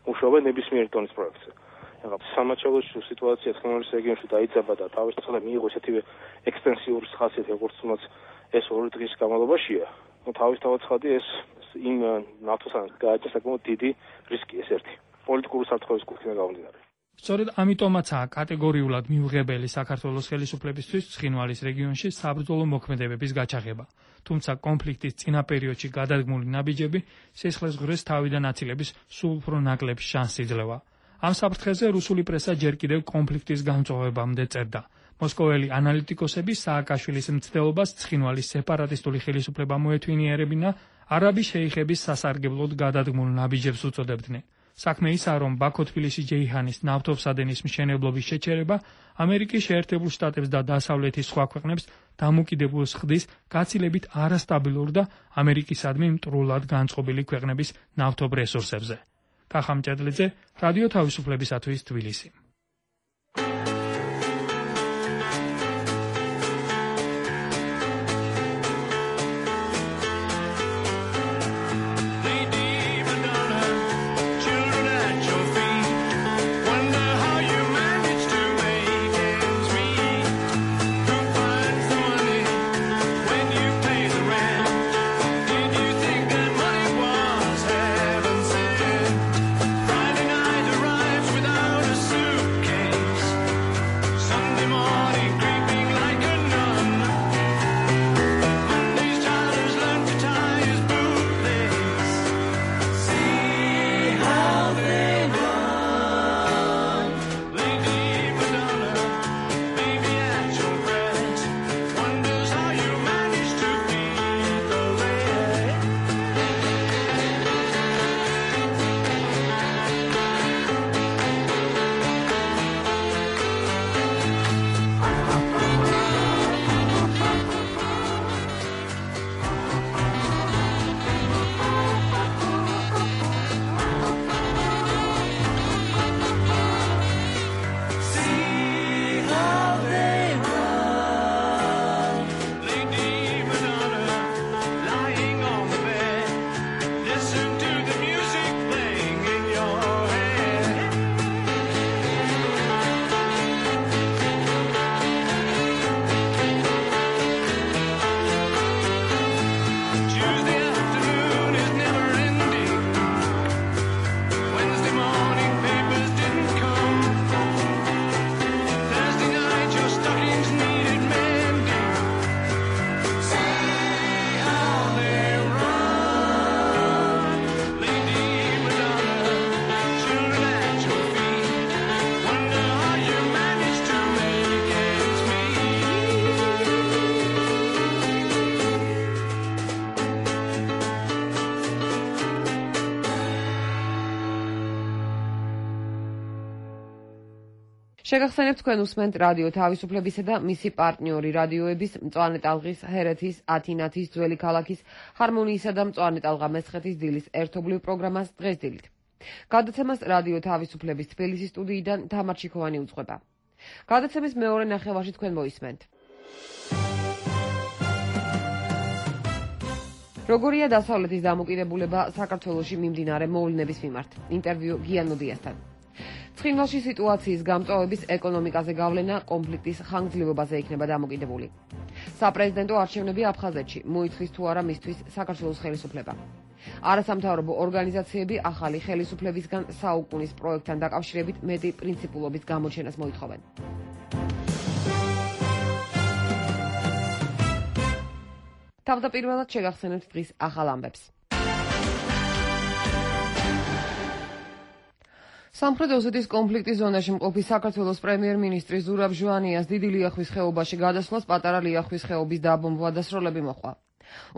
S16: მუშაობენ ნებისმიერ დონის პროექტზე. სამაჩაბლოში სიტუაცია ცხინვალის რეგიონში დაიძაბა და თავისთავად მიიღო ესეთივე ექსტენსიური ხასიათი, როგორც თუნდაც ეს ორი დღის განმავლობაშია. თავისთავად ხადი ეს იმ ნავთობსადენს გააჩნია საკმაოდ დიდი რისკი, ეს ერთი. პოლიტიკური საფრთხების კუთხიდან გამომდინარე.
S15: სწორედ ამიტომაცაა კატეგორიულად მიუღებელი საქართველოს ხელისუფლებისთვის ცხინვალის რეგიონში საბრძოლო მოქმედებების გაჩაღება. თუმცა კონფლიქტის წინა პერიოდში გადადგმული ნაბიჯები სისხლისღვრეს თავიდან აცილების სულ უფრო ნაკლებ შანსს იძლევა. ამ საფრთხეზე რუსული პრესა ჯერ კიდევ კონფლიქტის გამწვავებამდე წერდა. მოსკოველი ანალიტიკოსები სააკაშვილის მცდელობას ცხინვალის სეპარატისტული ხელისუფლება მოეთვინიერებინა არაბი შეიხების სასარგებლოდ გადადგმულ ნაბიჯებს უწოდებდნენ. საქმე ისაა, რომ ბაქო-თბილისი-ჯეიჰანის ნავთობსადენის მშენებლობის შეჩერება ამერიკის შეერთებულ შტატებს და დასავლეთის სხვა ქვეყნებს დამოკიდებულს ხდის გაცილებით არასტაბილურ და ამერიკისადმი მტრულად განწყობილი ქვეყნების ნავთობ რესურსებზე. კახა მჭედლიძე, რადიო თავისუფლებისათვის თბილისი.
S17: Friday night arrives without a suit.
S1: შეგახსენებთ თქვენ უსმენთ რადიო თავისუფლებისა და მისი პარტნიორი რადიოების მწვანე ტალღის, ჰერეთის, ათინათის, ძველი ქალაქის, ჰარმონიისა და მწვანე ტალღა მესხეთის დილის ერთობლივ პროგრამას დღეს დილით. გადაცემას რადიო თავისუფლების თბილისის სტუდიიდან თამარ ჩიქოვანი უძღვება. გადაცემის მეორე ნახევარში თქვენ მოისმენთ. როგორია დასავლეთის დამოკიდებულება საქართველოში მიმდინარე მოვლენების მიმართ. ინტერვიუ გიანოდიასთან. ცხინვალში სიტუაციის გამწვავების ეკონომიკაზე გავლენა კონფლიქტის ხანგრძლივობაზე იქნება დამოკიდებული. საპრეზიდენტო არჩევნები აფხაზეთში მოითხოვს თუ არა მისთვის საქართველოს ხელისუფლება. არასამთავრობო ორგანიზაციები ახალი ხელისუფლებისგან საუკუნის პროექტთან დაკავშირებით მეტი პრინციპულობის გამოჩენას მოითხოვენ. თავდაპირველად შეგახსენებთ დღის ახალ ამბებს. სამხრეთ ოსეთის კონფლიქტის ზონაში მყოფი საქართველოს პრემიერ-მინისტრი ზურაბ ჟვანიას დიდი ლიახვის ხეობაში გადასვლას პატარა ლიახვის ხეობის დაბომბვა და სროლები მოჰყვა.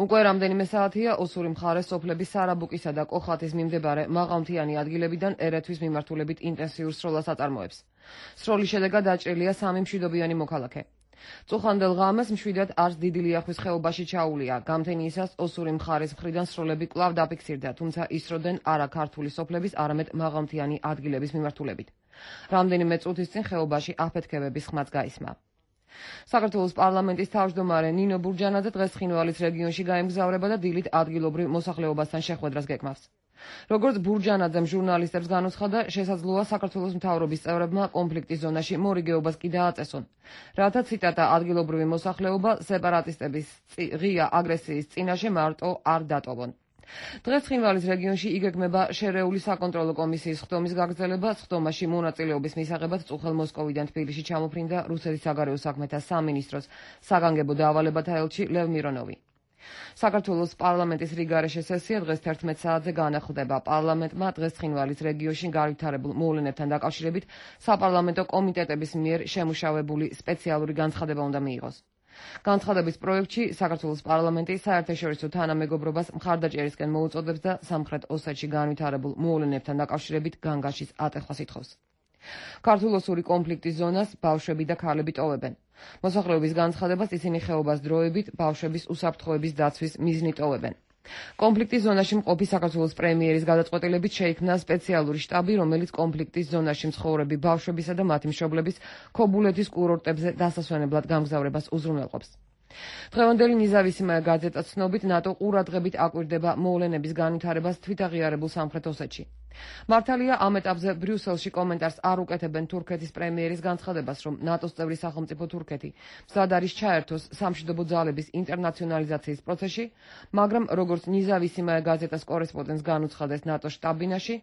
S1: უკვე რამდენიმე საათია ოსური მხარეს სოფლების სარაბუკისა და კოხათის მიმდებარე მაღალმთიანი ადგილებიდან ერეთვის მიმართულებით ინტენსიურ სროლას აწარმოებს. სროლის შედეგად დაჭრილია სამი მშვიდობიანი მოქალაქე. წუხანდელ ღამეს მშვიდად არც დიდი ლიახვის ხეობაში ჩაულია. გამთენიისას ოსური მხარის მხრიდან სროლები კვლავ დაფიქსირდა, თუმცა ისროდნენ არა ქართული სოფლების, არამედ მაღალმთიანი ადგილების მიმართულებით. რამდენიმე წუთის წინ ხეობაში აფეთქებების ხმაც გაისმა. საქართველოს პარლამენტის თავმჯდომარე ნინო ბურჯანაძე დღეს ცხინვალის რეგიონში გაემგზავრება და დილით ადგილობრივ მოსახლეობასთან შეხვედრას გეკმავს. როგორც ბურჯანაძემ ჟურნალისტებს განუცხადა, შესაძლოა საქართველოს მთავრობის წევრებმა კონფლიქტის ზონაში მორიგეობას კი დააწესონ, რათა ციტატა ადგილობრივი მოსახლეობა სეპარატისტების ღია აგრესიის წინაშე მარტო არ დატოვონ. დღეს ცხინვალის რეგიონში იგეგმება შერეული საკონტროლო კომისიის ხდომის გაგრძელება. ხდომაში მონაწილეობის მისაღებად წუხელ მოსკოვიდან თბილისში ჩამოფრინდა რუსეთის საგარეო საქმეთა სამინისტროს საგანგებო დავალებათა ელჩი ლევ მირონოვი. საქართველოს პარლამენტის რიგარეშე სესია დღეს თერთმეტ საათზე განახლდება. პარლამენტმა დღეს ცხინვალის რეგიონში განვითარებულ მოვლენებთან დაკავშირებით საპარლამენტო კომიტეტების მიერ შემუშავებული სპეციალური განცხადება უნდა მიიღოს. განცხადების პროექტში საქართველოს პარლამენტი საერთაშორისო თანამეგობრობას მხარდაჭერისკენ მოუწოდებს და სამხრეთ ოსეთში განვითარებულ მოვლენებთან დაკავშირებით განგაშის ატეხვას ითხოვს. ქართულ-ოსური კონფლიქტის ზონას ბავშვები და ქალები ტოვებენ. მოსახლეობის განცხადებას ისინი ხეობას დროებით ბავშვების უსაფრთხოების დაცვის მიზნით ტოვებენ. კონფლიქტის ზონაში მყოფი საქართველოს პრემიერის გადაწყვეტილებით შეიქმნა სპეციალური შტაბი, რომელიც კონფლიქტის ზონაში მცხოვრები ბავშვებისა და მათი მშობლების ქობულეთის კურორტებზე დასასვენებლად გამგზავრებას უზრუნველყოფს. დღევანდელი ნიზავისიმე გაზეტა ცნობით ნატო ყურადღებით აკვირდება მოვლენების განვითარებას თვითაღიარებულ სამხრეთ ოსეთში. მართალია ამ ეტაპზე ბრიუსელში კომენტარს არ უკეთებენ თურქეთის პრემიერის განცხადებას, რომ ნატოს წევრი სახელმწიფო თურქეთი მზად არის ჩაერთოს სამშვიდობო ძალების ინტერნაციონალიზაციის პროცესში, მაგრამ როგორც ნიზავისიმე გაზეტას კორესპონდენტს განუცხადეს ნატოს შტაბ-ბინაში,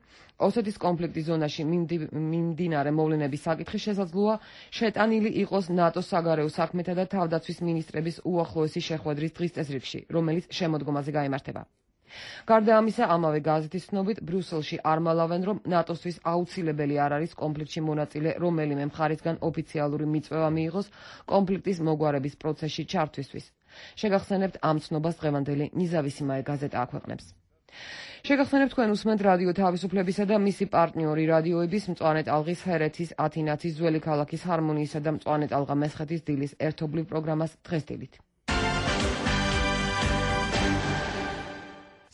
S1: ოსეთის კონფლიქტის ზონაში მიმდინარე მოვლენების საკითხი შესაძლოა შეტანილი იყოს ნატოს საგარეო საქმეთა და თავდაცვის მინისტრების უახლოესი შეხვედრის დღის წესრიგში, რომელიც შემოდგომაზე გაიმართება. გარდა ამისა, ამავე გაზეთის ცნობით, ბრიუსელში არ მალავენ, რომ ნატოსთვის აუცილებელი არ არის კონფლიქტში მონაწილე რომელიმე მხარისგან ოფიციალური მიწვევა მიიღოს კონფლიქტის მოგვარების პროცესში ჩართვისთვის. შეგახსენებთ ამ ცნობას დღევანდელი ნიზავისიმაე გაზეტა აქვეყნებს. შეგახსენებთ თქვენ უსმენთ რადიო თავისუფლებისა და მისი პარტნიორი რადიოების მწვანე ტალღის, ჰერეთის, ათინათის, ძველი ქალაქის, ჰარმონიისა და მწვანე ტალღა მესხეთის დილის ერთობლივ პროგრამას დღეს დილით.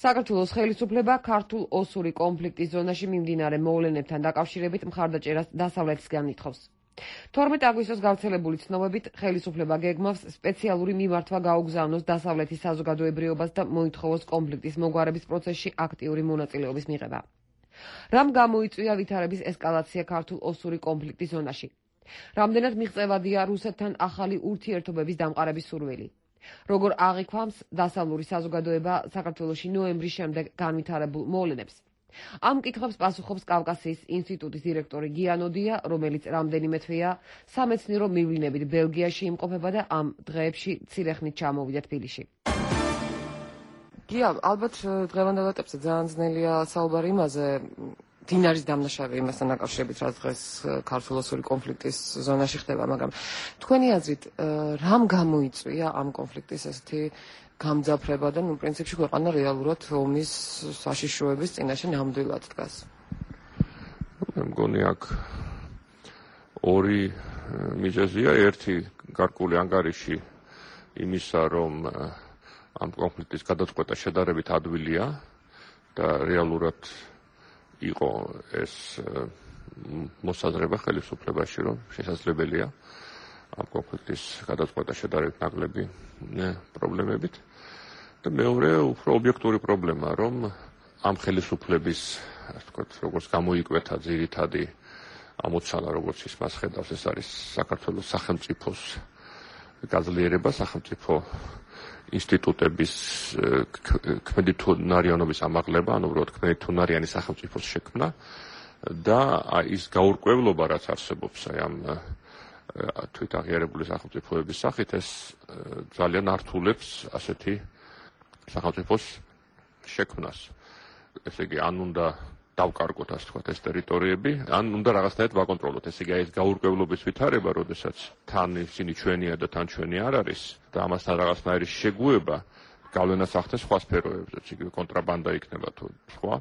S1: საქართველოს ხელისუფლება ქართულ-ოსური კონფლიქტის ზონაში მიმდინარე მოვლენებთან დაკავშირებით მხარდაჭერას დასავლეთისგან ითხოვს. თორმეტ აგვისტოს გავრცელებული ცნობებით ხელისუფლება გეგმავს სპეციალური მიმართვა გაუგზავნოს დასავლეთის საზოგადოებრიობას და მოითხოვოს კონფლიქტის მოგვარების პროცესში აქტიური მონაწილეობის მიღება. რამ გამოიწვია ვითარების ესკალაცია ქართულ-ოსური კონფლიქტის ზონაში? რამდენად მიღწევადია რუსეთთან ახალი ურთიერთობების დამყარების სურვილი? როგორ აღიქვამს დასავლური საზოგადოება საქართველოში ნოემბრის შემდეგ განვითარებულ მოვლენებს? ამ კითხვებს პასუხობს კავკასიის ინსტიტუტის დირექტორი გიანოდია, რომელიც რამდენიმე თვეა სამეცნიერო მივლინებით ბელგიაში იმყოფება და ამ დღეებში ცირეხნით ჩამოვიდა თბილისში. გია, ალბათ დღევანდელ ეტაპზე ძალიან ძნელია საუბარი იმაზე, დინარის დამნაშავე იმასთან დაკავშირებით, რაც დღეს ქართულ-ოსური კონფლიქტის ზონაში ხდება, მაგრამ თქვენი აზრით, რამ გამოიწვია ამ კონფლიქტის ესეთი გამძაფრება და ნუ პრინციპში ქვეყანა რეალურად ომის საშიშროების წინაშე ნამდვილად დგას?
S17: მე მგონი აქ ორი მიზეზია, ერთი გარკვეული ანგარიში იმისა, რომ ამ კონფლიქტის გადაწყვეტა შედარებით ადვილია და რეალურად იყო ეს მოსაზრება ხელისუფლებაში, რომ შესაძლებელია ამ კონფლიქტის გადაწყვეტა შედარებით ნაკლები პრობლემებით. და მეორე უფრო ობიექტური პრობლემა, რომ ამ ხელისუფლების, ასე ვთქვათ, როგორც გამოიკვეთა ძირითადი ამოცანა, როგორც ის მას ხედავს, ეს არის საქართველოს სახელმწიფოს გაძლიერება, სახელმწიფო ინსტიტუტების ქმედითუნარიანობის ამაღლება, ანუ უბრალოდ ქმედითუნარიანი სახელმწიფოს შექმნა და ის გაურკვევლობა, რაც არსებობს აი ამ თვითაღიარებული სახელმწიფოების სახით, ეს ძალიან ართულებს ასეთი სახელმწიფოს შექმნას. ესე იგი, ან უნდა დავკარგოთ, ასე ვთქვათ, ეს ტერიტორიები, ან უნდა რაღაცნაირად ვაკონტროლოთ. ესე იგი, ეს გაურკვევლობის ვითარება, როდესაც თან ისინი ჩვენია და თან ჩვენი არ არის და ამასთან რაღაცნაირი შეგუება გავლენას ახდენს სხვა სფეროებზე, იგივე კონტრაბანდა იქნება თუ სხვა.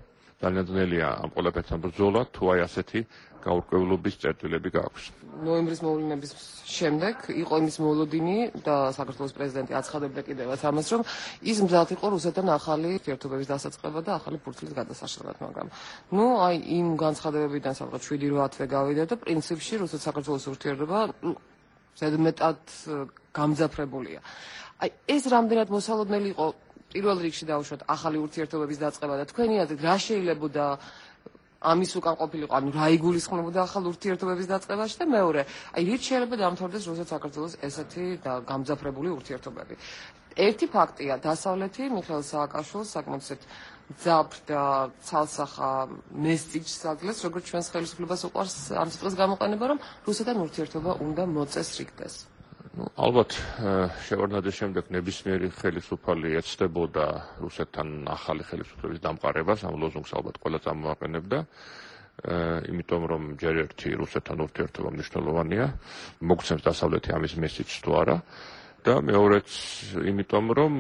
S17: ძალიან ძნელია ამ ყველაფერთან ბრძოლა, თუ აი ასეთი გაურკვევლობის წერტილები გააქვს.
S1: ნოემბრის მოვლენების შემდეგ იყო იმის მოლოდინი და საქართველოს პრეზიდენტი აცხადებდა კიდევაც ამას, რომ ის მზად იყო რუსეთთან ახალი ურთიერთობების დასაწყება და ახალი ფურცლის გადასაშლელად, მაგრამ ნუ აი იმ განცხადებებიდან სადღაც შვიდი რვა თვე გავიდა და პრინციპში რუსეთ-საქართველოს ურთიერთობა ზედმეტად გამძაფრებულია. აი ეს რამდენად მოსალოდნელი იყო პირველ რიგში დავუშვათ ახალი ურთიერთობების დაწყება და თქვენი აზრით რა შეიძლებოდა ამის უკან ყოფილიყო, ანუ რა იგულისხმებოდა ახალ ურთიერთობების დაწყებაში და მეორე, აი რით შეიძლება დამთავრდეს რუსეთ-საქართველოს ესეთი გამძაფრებული ურთიერთობები. ერთი ფაქტია, დასავლეთი მიხეილ სააკაშვილს საკმაოდ ძაფრ და ცალსახა მესიჯს აძლევს, როგორც ჩვენს ხელისუფლებას უყვარს ამ სიტყვის გამოყენება, რომ რუსეთთან ურთიერთობა უნდა მოწესრიგდეს.
S17: ну ალბათ შევარდნაძის შემდეგ ნებისმიერი ხელისუფალი ეცდებოდა რუსეთთან ახალი ხელისუფლების დამყარებას, ამ ლოზუნგს ალბათ ყველა წამოაყენებდა, იმიტომ რომ ჯერ ერთი რუსეთთან ურთიერთობა მნიშვნელოვანია, მოგცემს დასავლეთი ამის მესიჯს თუ არა და მეორეც იმიტომ რომ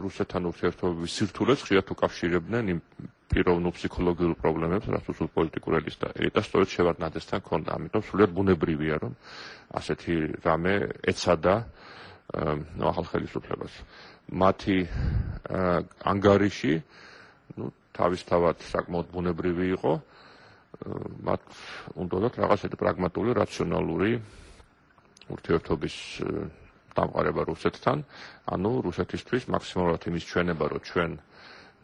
S17: რუსეთთან ურთიერთობების სირთულეს ხშირად უკავშირებდნენ იმ პიროვნულ ფსიქოლოგიურ პრობლემებს, რაც უცებ პოლიტიკურ ელიტს და ელიტას სწორედ შევარდნაძესთან ჰქონდა, ამიტომ სრულიად ბუნებრივია რომ ასეთი რამე ეცადა ახალ ხელისუფლებას. მათი ანგარიში, ну, თავისთავად საკმაოდ ბუნებრივი იყო, მათ უნდათ რაღაცეთი პრაგმატული, რაციონალური ურთიერთობის დამყარება რუსეთთან, ანუ რუსეთისთვის მაქსიმალურად იმის ჩვენება, რომ ჩვენ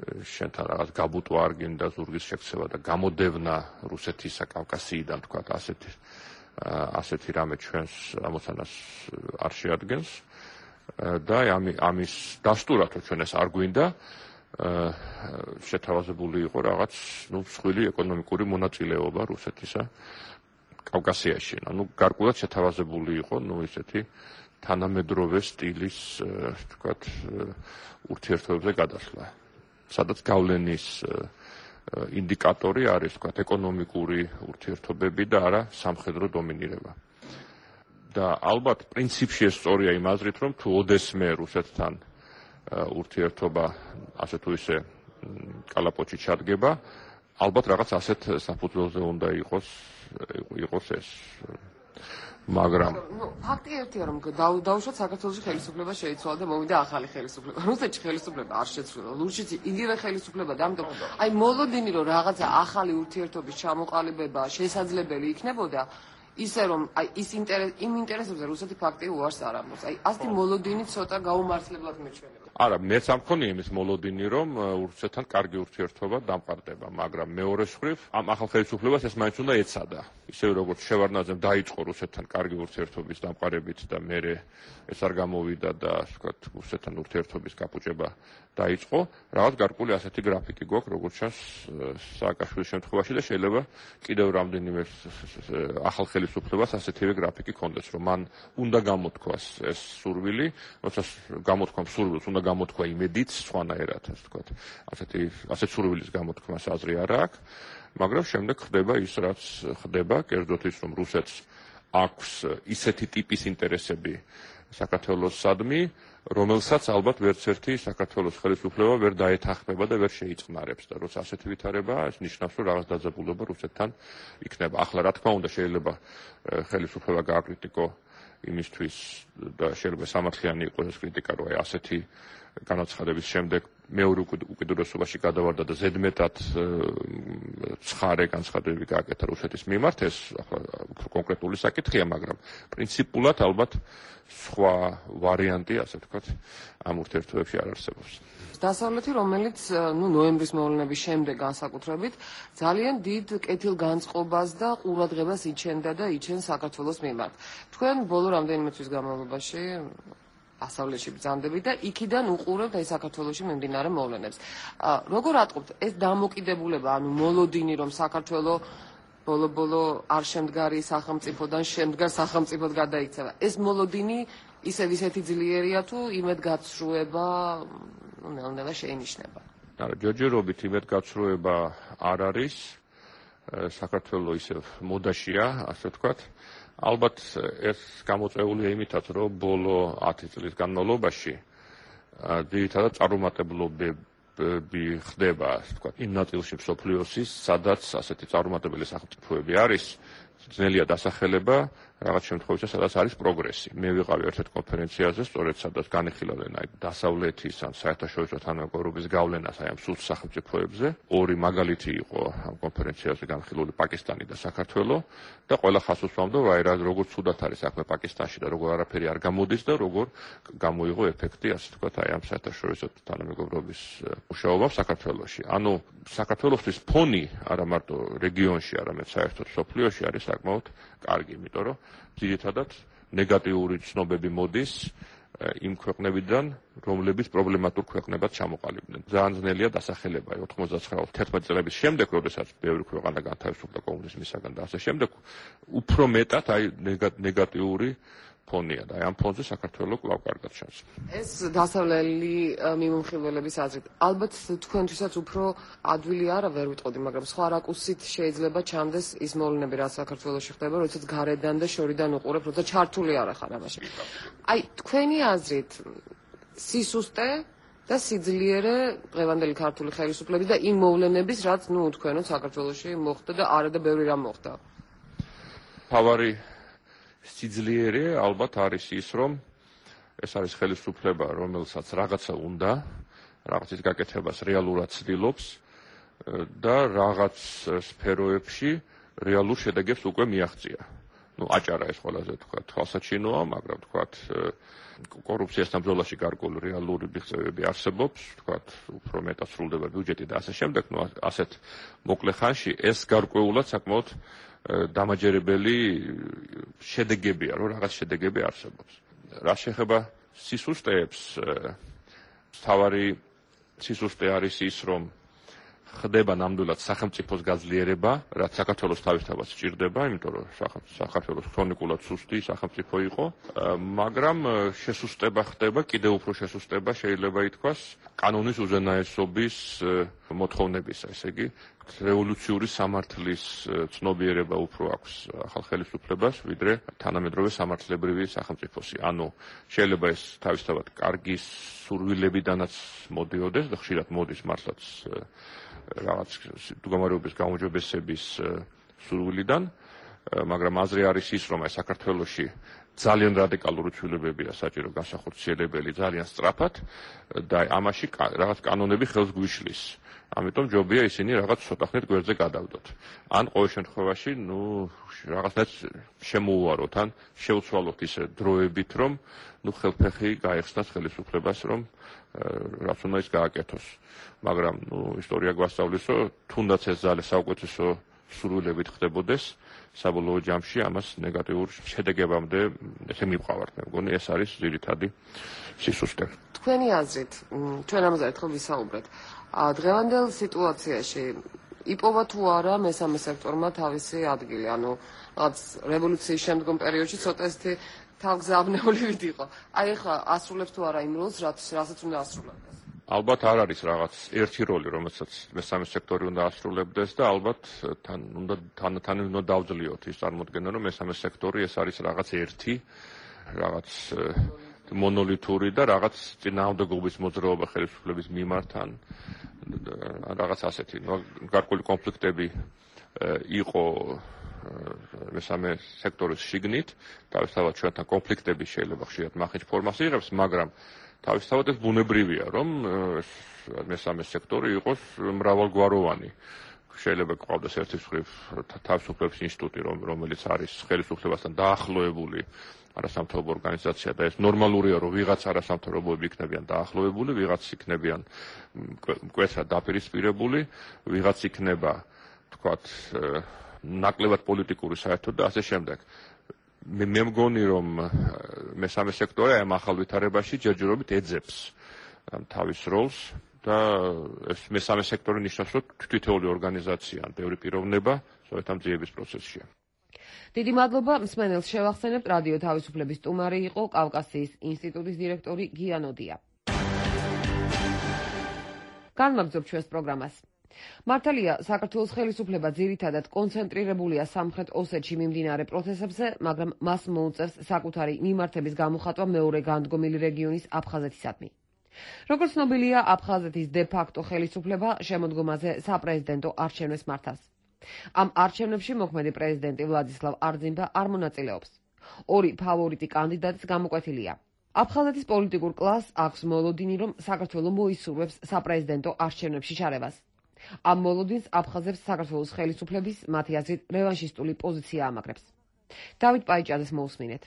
S17: შენთან რაღაც გაბუტვა არ გინდა ზურგის შექცევა და გამოდევნა რუსეთისა კავკასიიდან, თქვათ, ასეთი ასეთი რამე ჩვენს ამოცანას არ შეადგენს და ამის დასტურად რომ ჩვენ ეს არ გვინდა შეთავაზებული იყო რაღაც ნუ მსხვილი ეკონომიკური მონაწილეობა რუსეთისა კავკასიაში. ანუ გარკვეულად შეთავაზებული იყო ნუ ისეთი თანამედროვე სტილის თქვათ ურთიერთობებზე გადასვლა. სადაც გავლენის ინდიკატორი არის თქვათ ეკონომიკური ურთიერთობები და არა სამხედრო დომინირება. და ალბათ პრინციპში ეს სწორია იმ აზრით, რომ თუ ოდესმე რუსეთთან ურთიერთობა ასე თუ ისე კალაპოტში ჩადგება, ალბათ რაღაც ასეთ საფუძველზე უნდა იყოს იყოს ეს. მაგრამ
S1: ну ფაქტი ერთია რომ დაუშვათ საქართველოში ხელისუფლება შეიცვალა და მოვიდა ახალი ხელისუფლება. რუსეთში ხელისუფლება არ შეცვლილა. ლურჯიც იგივე ხელისუფლება და ამიტომ აი მოლოდინი რომ რაღაცა ახალი ურთიერთობის ჩამოყალიბება შესაძლებელი იქნებოდა, ისე რომ აი ის ინტერეს იმ ინტერესებზე რუსეთი ფაქტი უარს არ ამბობს. აი ასეთი მოლოდინი ცოტა გაუმართლებლად მეჩვენება.
S17: არა, მეც არ მქონია იმის მოლოდინი, რომ რუსეთთან კარგი ურთიერთობა დამყარდება, მაგრამ მეორე მხრივ ამ ახალ ხელისუფლებას ეს მაინც უნდა ეცადა. ისევე როგორც შევარდნაძემ დაიწყო რუსეთთან კარგი ურთიერთობის დამყარებით და მერე ეს არ გამოვიდა და ასე ვთქვათ, რუსეთთან ურთიერთობის გაფუჭება დაიწყო, რაღაც გარკვეული ასეთი გრაფიკი გვაქვს, როგორც ჩანს სააკაშვილის შემთხვევაში და შეიძლება კიდევ რამდენიმე ახალ ხელისუფლებას ასეთივე გრაფიკი ჰქონდეს, რომ მან უნდა გამოთქვას ეს სურვილი, როცა გამოთქვა სურვილს უნდა გამოთქვა იმედით, სხვანაირად, ასე ვთქვათ. ასეთი ასეთ სურვილის გამოთქმას აზრი არ აქვს, მაგრამ შემდეგ ხდება ის, რაც ხდება, კერძოდ ის, რომ რუსეთს აქვს ისეთი ტიპის ინტერესები საქართველოსადმი, რომელსაც ალბათ ვერც ერთი საქართველოს ხელისუფლება ვერ დაეთანხმება და ვერ შეიწყნარებს და როცა ასეთი ვითარებაა, ეს ნიშნავს, რომ რაღაც დაძაბულობა რუსეთთან იქნება. ახლა რა თქმა უნდა, შეიძლება ხელისუფლება გააკრიტიკო იმისთვის და შეიძლება სამართლიანი იყოს ეს კრიტიკა, რომ აი ასეთი განაცხადების შემდეგ მეორე უკიდურესობაში გადავარდა და ზედმეტად ცხარე განცხადებები გააკეთა რუსეთის მიმართ, ეს ახლა უფრო კონკრეტული საკითხია, მაგრამ პრინციპულად ალბათ სხვა ვარიანტი, ასე ვთქვათ, ამ ურთიერთობებში არ არსებობს.
S1: დასავლეთი, რომელიც ნუ ნოემბრის მოვლენების შემდეგ განსაკუთრებით ძალიან დიდ კეთილგანწყობას და ყურადღებას იჩენდა და იჩენს საქართველოს მიმართ. თქვენ ბოლო რამდენიმე თვის განმავლობაში დასავლეთში ბრძანდებით და იქიდან უყურებთ აი საქართველოში მიმდინარე მოვლენებს. როგორ ატყობთ ეს დამოკიდებულება, ანუ მოლოდინი, რომ საქართველო ბოლო-ბოლო არ შემდგარი სახელმწიფოდან შემდგარ სახელმწიფოდ გადაიქცევა. ეს მოლოდინი ისევ ისეთი ძლიერია თუ იმედგაცრუება ნელ-ნელა შეინიშნება?
S17: არა, ჯერჯერობით იმედგაცრუება არ არის. საქართველო ისევ მოდაშია, ასე ვთქვათ. ალბათ ეს გამოწვეულია იმითაც, რომ ბოლო ათი წლის განმავლობაში ძირითადად წარუმატებლობები ხდება, ასე ვთქვათ, იმ ნაწილში მსოფლიოსის, სადაც ასეთი წარუმატებელი სახელმწიფოები არის, ძნელია დასახელება რაღაც შემთხვევაში, სადაც არის პროგრესი. მე ვიყავი ერთ-ერთ კონფერენციაზე, სწორედ სადაც განიხილავდნენ აი დასავლეთის ან საერთაშორისო თანამეგობრობის გავლენას აი ამ სულ სახელმწიფოებზე. ორი მაგალითი იყო ამ კონფერენციაზე განხილული პაკისტანი და საქართველო და ყველა ხას უსვამდა, რომ აი რა როგორ ცუდად არის საქმე პაკისტანში და როგორ არაფერი არ გამოდის და როგორ გამოიღო ეფექტი, ასე ვთქვათ, აი ამ საერთაშორისო თანამეგობრობის მუშაობამ საქართველოში. ანუ საქართველოსთვის ფონი არა მარტო რეგიონში, არამედ საერთოდ მსოფლიოში არის საკმაოდ კარგი, იმიტომ რომ ძირითადად ნეგატიური ცნობები მოდის იმ ქვეყნებიდან, რომლებიც პრობლემატურ ქვეყნებად ჩამოყალიბდნენ. ძალიან ძნელია დასახელება ოთხმოცდაცხრა თერთმეტი წლების შემდეგ, როდესაც ბევრი ქვეყანა განთავისუფლდა კომუნიზმისაგან და ასე შემდეგ, უფრო მეტად აი ნეგატიური ფონია და აი ამ ფონზე საქართველო კვლავ კარგად ჩანს.
S1: ეს დასავლელი მიმომხილველების აზრით, ალბათ თქვენთვისაც უფრო ადვილი არა ვერ ვიტყოდი, მაგრამ სხვა რაკურსით შეიძლება ჩანდეს ის მოვლენები, რაც საქართველოში ხდება, როდესაც გარედან და შორიდან უყურებ, როცა ჩართული არ ხარ ამაში. აი, თქვენი აზრით, სისუსტე და სიძლიერე დღევანდელი ქართული ხელისუფლების და იმ მოვლენების, რაც ნუ თქვენო საქართველოში მოხდა და არა და ბევრი რამ მოხდა.
S17: თავარი სიძლიერე ალბათ არის ის, რომ ეს არის ხელისუფლება, რომელსაც რაღაცა უნდა, რაღაცის გაკეთებას რეალურად ცდილობს და რაღაც სფეროებში რეალურ შედეგებს უკვე მიაღწია. ნუ აჭარა ეს ყველაზე თქვა თვალსაჩინოა, მაგრამ თქვა კორუფციასთან ბრძოლაში გარკვეული რეალური მიღწევები არსებობს, თქვა უფრო მეტად სრულდება ბიუჯეტი და ასე შემდეგ, ნუ ასეთ მოკლე ხანში ეს გარკვეულად საკმაოდ დამაჯერებელი შედეგებია, რომ რაღაც შედეგები არსებობს. რა შეეხება სისუსტეებს, თავარი სისუსტე არის ის, რომ ხდება ნამდვილად სახელმწიფოს გაძლიერება, რაც საქართველოს თავისთავად სჭირდება, იმიტომ რომ საქართველოს ქრონიკულად სუსტი სახელმწიფო იყო, მაგრამ შესუსტება ხდება, კიდევ უფრო შესუსტება შეიძლება ითქვას კანონის უზენაესობის მოთხოვნებისა, ესე იგი რევოლუციური სამართლის ცნობიერება უფრო აქვს ახალ ხელისუფლებას, ვიდრე თანამედროვე სამართლებრივი სახელმწიფოსი. ანუ შეიძლება ეს თავისთავად კარგი სურვილებიდანაც მოდიოდეს და ხშირად მოდის მართლაც რაღაც მდგომარეობის გაუმჯობესების სურვილიდან, მაგრამ აზრი არის ის, რომ აი საქართველოში ძალიან რადიკალური ცვლილებებია საჭირო განსახორციელებელი, ძალიან სწრაფად და ამაში რაღაც კანონები ხელს გვიშლის. ამიტომ ჯობია ისინი რაღაც ცოტახნით გვერდზე გადავდოთ. ან ყოველ შემთხვევაში, ნუ რაღაცნაირად შემოუვაროთ, ან შევცვალოთ ისე დროებით, რომ ნუ ხელფეხი გაეხსნათ ხელისუფლებას, რომ რაც უნდა ის გააკეთოს. მაგრამ ნუ ისტორია გვასწავლის, რომ თუნდაც ეს ძალე საუკეთესო სურვილებით ხდებოდეს, საბოლოო ჯამში ამას ნეგატიურ შედეგებამდე ესე მივყავართ. მე მგონი ეს არის ძირითადი სისუსტე.
S1: თქვენი აზრით, ჩვენ ამაზე ერთხელ ვისაუბრეთ. დღევანდელ სიტუაციაში იპოვა თუ არა მესამე სექტორმა თავისი ადგილი, ანუ რაღაც რევოლუციის შემდგომ პერიოდში ცოტა ისეთი თავგზავნეულივით იყო. აი ახლა ასრულებს თუ არა იმ როლს, რასაც უნდა ასრულებდეს?
S17: ალბათ არ არის რაღაც ერთი როლი, რომელსაც მესამე სექტორი უნდა ასრულებდეს და ალბათ თან უნდა თან უნდა დავძლიოთ ის წარმოდგენა, რომ მესამე სექტორი ეს არის რაღაც ერთი რაღაც მონოლითური და რაღაც წინააღმდეგობის მოძრაობა ხელისუფლების მიმართ ან რაღაც ასეთი გარკვეული კონფლიქტები იყო მესამე სექტორის შიგნით, თავისთავად ჩვენთან კონფლიქტები შეიძლება ხშირად მახინჯ ფორმას იღებს, მაგრამ თავისთავად ეს ბუნებრივია, რომ მესამე სექტორი იყოს მრავალგვაროვანი. შეიძლება გყავდეს ერთი მხრივ თავისუფლების ინსტიტუტი, რომელიც არის ხელისუფლებასთან დაახლოებული არასამთავრობო ორგანიზაცია და ეს ნორმალურია, რომ ვიღაც არასამთავრობოები იქნებიან დაახლოებული, ვიღაც იქნებიან მკვეთრად დაპირისპირებული, ვიღაც იქნება, თქვათ, ნაკლებად პოლიტიკური საერთოდ და ასე შემდეგ. მე მე მგონი, რომ მესამე სექტორი ამ ახალ ვითარებაში ჯერჯერობით ეძებს თავის როლს და ეს მესამე სექტორი ნიშნავს, რომ თვითეული ორგანიზაცია ან ბევრი პიროვნება სწორედ ამ ძიების პროცესშია.
S1: დიდი მადლობა, მსმენელს შევახსენებთ, რადიო თავისუფლების სტუმარი იყო კავკასიის ინსტიტუტის დირექტორი გიანოდია. განვაგრძობ ჩვენს პროგრამას. მართალია, საქართველოს ხელისუფლება ძირითადად კონცენტრირებულია სამხრეთ ოსეთში მიმდინარე პროცესებზე, მაგრამ მას მოუწევს საკუთარი მიმართების გამოხატვა მეორე განდგომილი რეგიონის აფხაზეთისადმი. როგორც ცნობილია, აფხაზეთის დე-ფაქტო ხელისუფლება შემოდგომაზე საპრეზიდენტო არჩევნებს მართავს. ამ არჩევნებში მოქმედი პრეზიდენტი ვლადისლავ არძიმბა არ მონაწილეობს. ორი ფავორიტი კანდიდატიც გამოკვეთილია. აფხაზეთის პოლიტიკურ კლასს აქვს მოლოდინი, რომ საქართველო მოისურვებს საპრეზიდენტო არჩევნებში ჩარევას. ამ მოლოდინს აფხაზებს საქართველოს ხელისუფლების მათი აზრით რევანშისტული პოზიცია ამაგრებს. დავით პაიჭაძეს მოусმინეთ.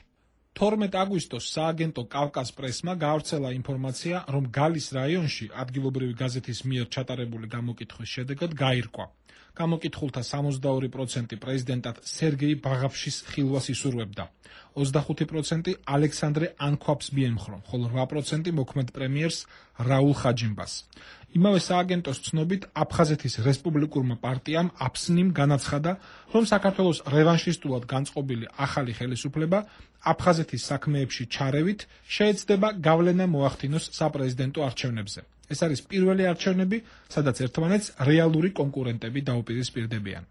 S18: თორმეტ აგვისტოს სააგენტო კავკას პრესმა გაავრცელა ინფორმაცია, რომ გალის რაიონში ადგილობრივი გაზეთის მიერ ჩატარებული გამოკითხვის შედეგად გაირკვა. გამოკითხულთა სამოცდაორი პროცენტი პრეზიდენტად სერგეი ბაღაფშის ხილვას ისურვებდა. ოცდახუთი პროცენტი ალექსანდრე ანქვაბს მიემხრო, ხოლო რვა პროცენტი მოქმედ პრემიერს რაულ ხაჯიმბას. იმავე სააგენტოს ცნობით, აფხაზეთის რესპუბლიკურმა პარტიამ აფსნიმ განაცხადა, რომ საქართველოს რევანშისტულად განწყობილი ახალი ხელისუფლება აფხაზეთის საქმეებში ჩარევით შეეცდება გავლენა მოახდინოს საპრეზიდენტო არჩევნებზე. ეს არის პირველი არჩევნები, სადაც ერთმანეთს რეალური კონკურენტები დაუპირისპირდებიან.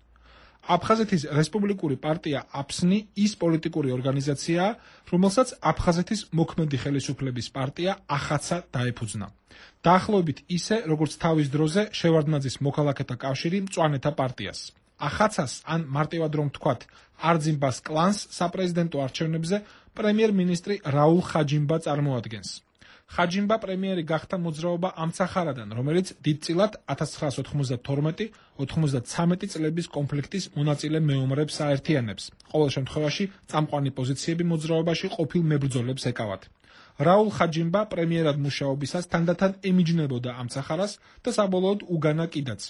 S18: აფხაზეთის რესპუბლიკური პარტია აფსნი ის პოლიტიკური ორგანიზაციაა, რომელსაც აფხაზეთის მოქმედი ხელისუფლების პარტია ახაცა დაეფუძნა. დაახლოებით ისე, როგორც თავის დროზე შევარდნაძის მოქალაქეთა კავშირი მწვანეთა პარტიას. ახაცას ან მარტივად რომ თქვათ, არძიმბას კლანს საპრეზიდენტო არჩევნებზე პრემიერ-მინისტრი რაულ ხაჯიმბა წარმოადგენს. ხაჯიმბა პრემიერი გახდა მოძრაობა ამცახარადან, რომელიც დიდწილად ათას ცხრაასი ოთხმოცდათორმეტი ოთხმოცდაცამეტი წლების კონფლიქტის მონაწილე მეომრებს აერთიანებს. ყოველ შემთხვევაში წამყვანი პოზიციები მოძრაობაში ყოფილ მებრძოლებს ეკავათ. რაულ ხაჯიმბა პრემიერად მუშაობისას თანდათან ემიჯნებოდა ამცახარას და საბოლოოდ უგანა კიდაც.